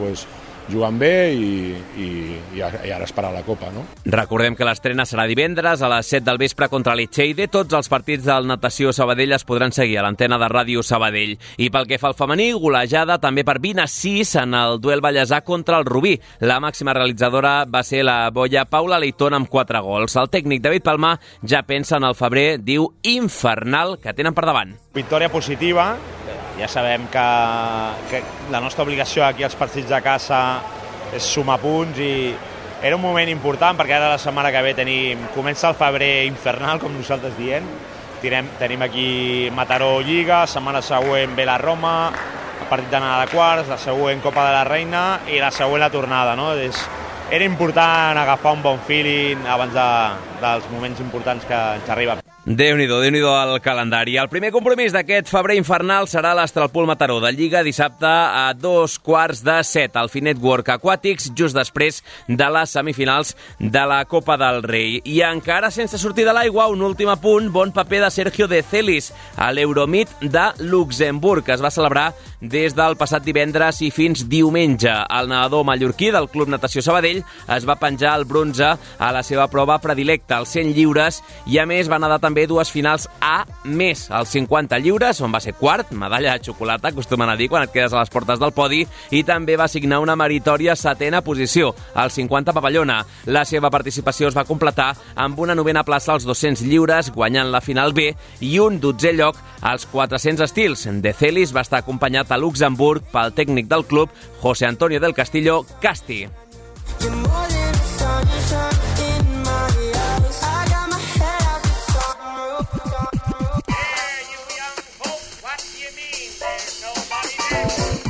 jugant bé i ara esperar la Copa, no? Recordem que l'estrena serà divendres a les 7 del vespre contra l'Etxeide. Tots els partits del Natació Sabadell es podran seguir a l'antena de Ràdio Sabadell. I pel que fa al femení, golejada també per 20-6 en el duel ballesà contra el Rubí. La màxima realitzadora va ser la boia Paula Leitón amb 4 gols. El tècnic David Palma ja pensa en el febrer, diu, infernal que tenen per davant. Victòria positiva. Ja sabem que la nostra obligació aquí als partits de casa és sumar punts i era un moment important perquè ara la setmana que ve comença el febrer infernal, com nosaltres diem. Tenim aquí Mataró Lliga, setmana següent ve la Roma, el partit d'anada de quarts, la següent Copa de la Reina i la següent la tornada, no? És era important agafar un bon feeling abans dels moments importants que ens arriben. Déu-n'hi-do el calendari. El primer compromís d'aquest febrer infernal serà l'Astralpool Mataró de Lliga dissabte a 6:45 al Finet Work Aquatics, just després de les semifinals de la Copa del Rei. I encara sense sortir de l'aigua, un últim apunt, bon paper de Sergio De Celis a l'Euromeet de Luxemburg, que es va celebrar des del passat divendres i fins diumenge. El nedador mallorquí del Club Natació Sabadell es va penjar el bronze a la seva prova predilecta, els 100 lliures, i a més va nedar també dues finals A més, els 50 lliures, on va ser quart, medalla de xocolata, acostumen a dir quan et quedes a les portes del podi, i també va signar una meritòria 7ª posició, als 50 papallona. La seva participació es va completar amb una 9ª plaça als 200 lliures, guanyant la final B, i un 12è lloc als 400 estils. De Celis va estar acompanyat a Luxemburg pel tècnic del club, José Antonio del Castillo Casti.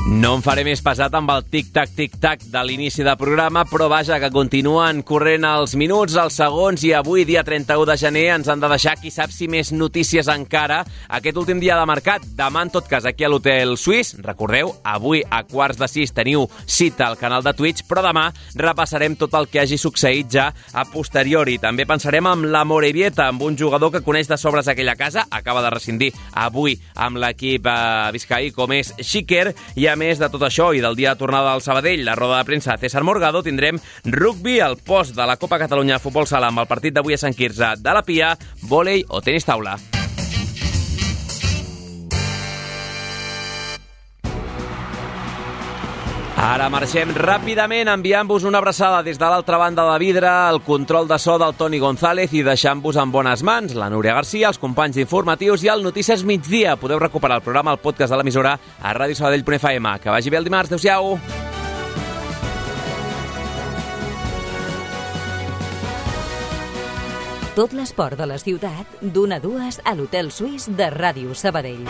No em faré més pesat amb el tic-tac, tic-tac de l'inici del programa, però vaja, que continuen corrent els minuts, els segons, i avui, dia 31 de gener, ens han de deixar, qui sap si més notícies encara, aquest últim dia de mercat. Demà, en tot cas, aquí a l'Hotel Suís. Recordeu, avui a 5:45 teniu cita al canal de Twitch, però demà repassarem tot el que hagi succeït ja a posteriori. També pensarem amb la Morevieta, amb un jugador que coneix de sobres aquella casa, acaba de rescindir avui amb l'equip biscaí, com és Xiquer, i a més de tot això i del dia de tornada al Sabadell, la roda de premsa de César Morgado, tindrem rugby, al post de la Copa Catalunya de Futbol Sala amb el partit d'avui a Sant Quirze de la Pia, vòlei o tenis taula. Ara marxem ràpidament enviant-vos una abraçada des de l'altra banda de vidre, el control de so del Toni González i deixant-vos en bones mans la Núria Garcia, els companys informatius i el Notícies Migdia. Podeu recuperar el programa al podcast de l'emissora a radiosabadell.fm. Que vagi bé el dimarts. Adéu-siau. Tot l'esport de la ciutat, d'1 a 2 a l'Hotel Suís de Ràdio Sabadell.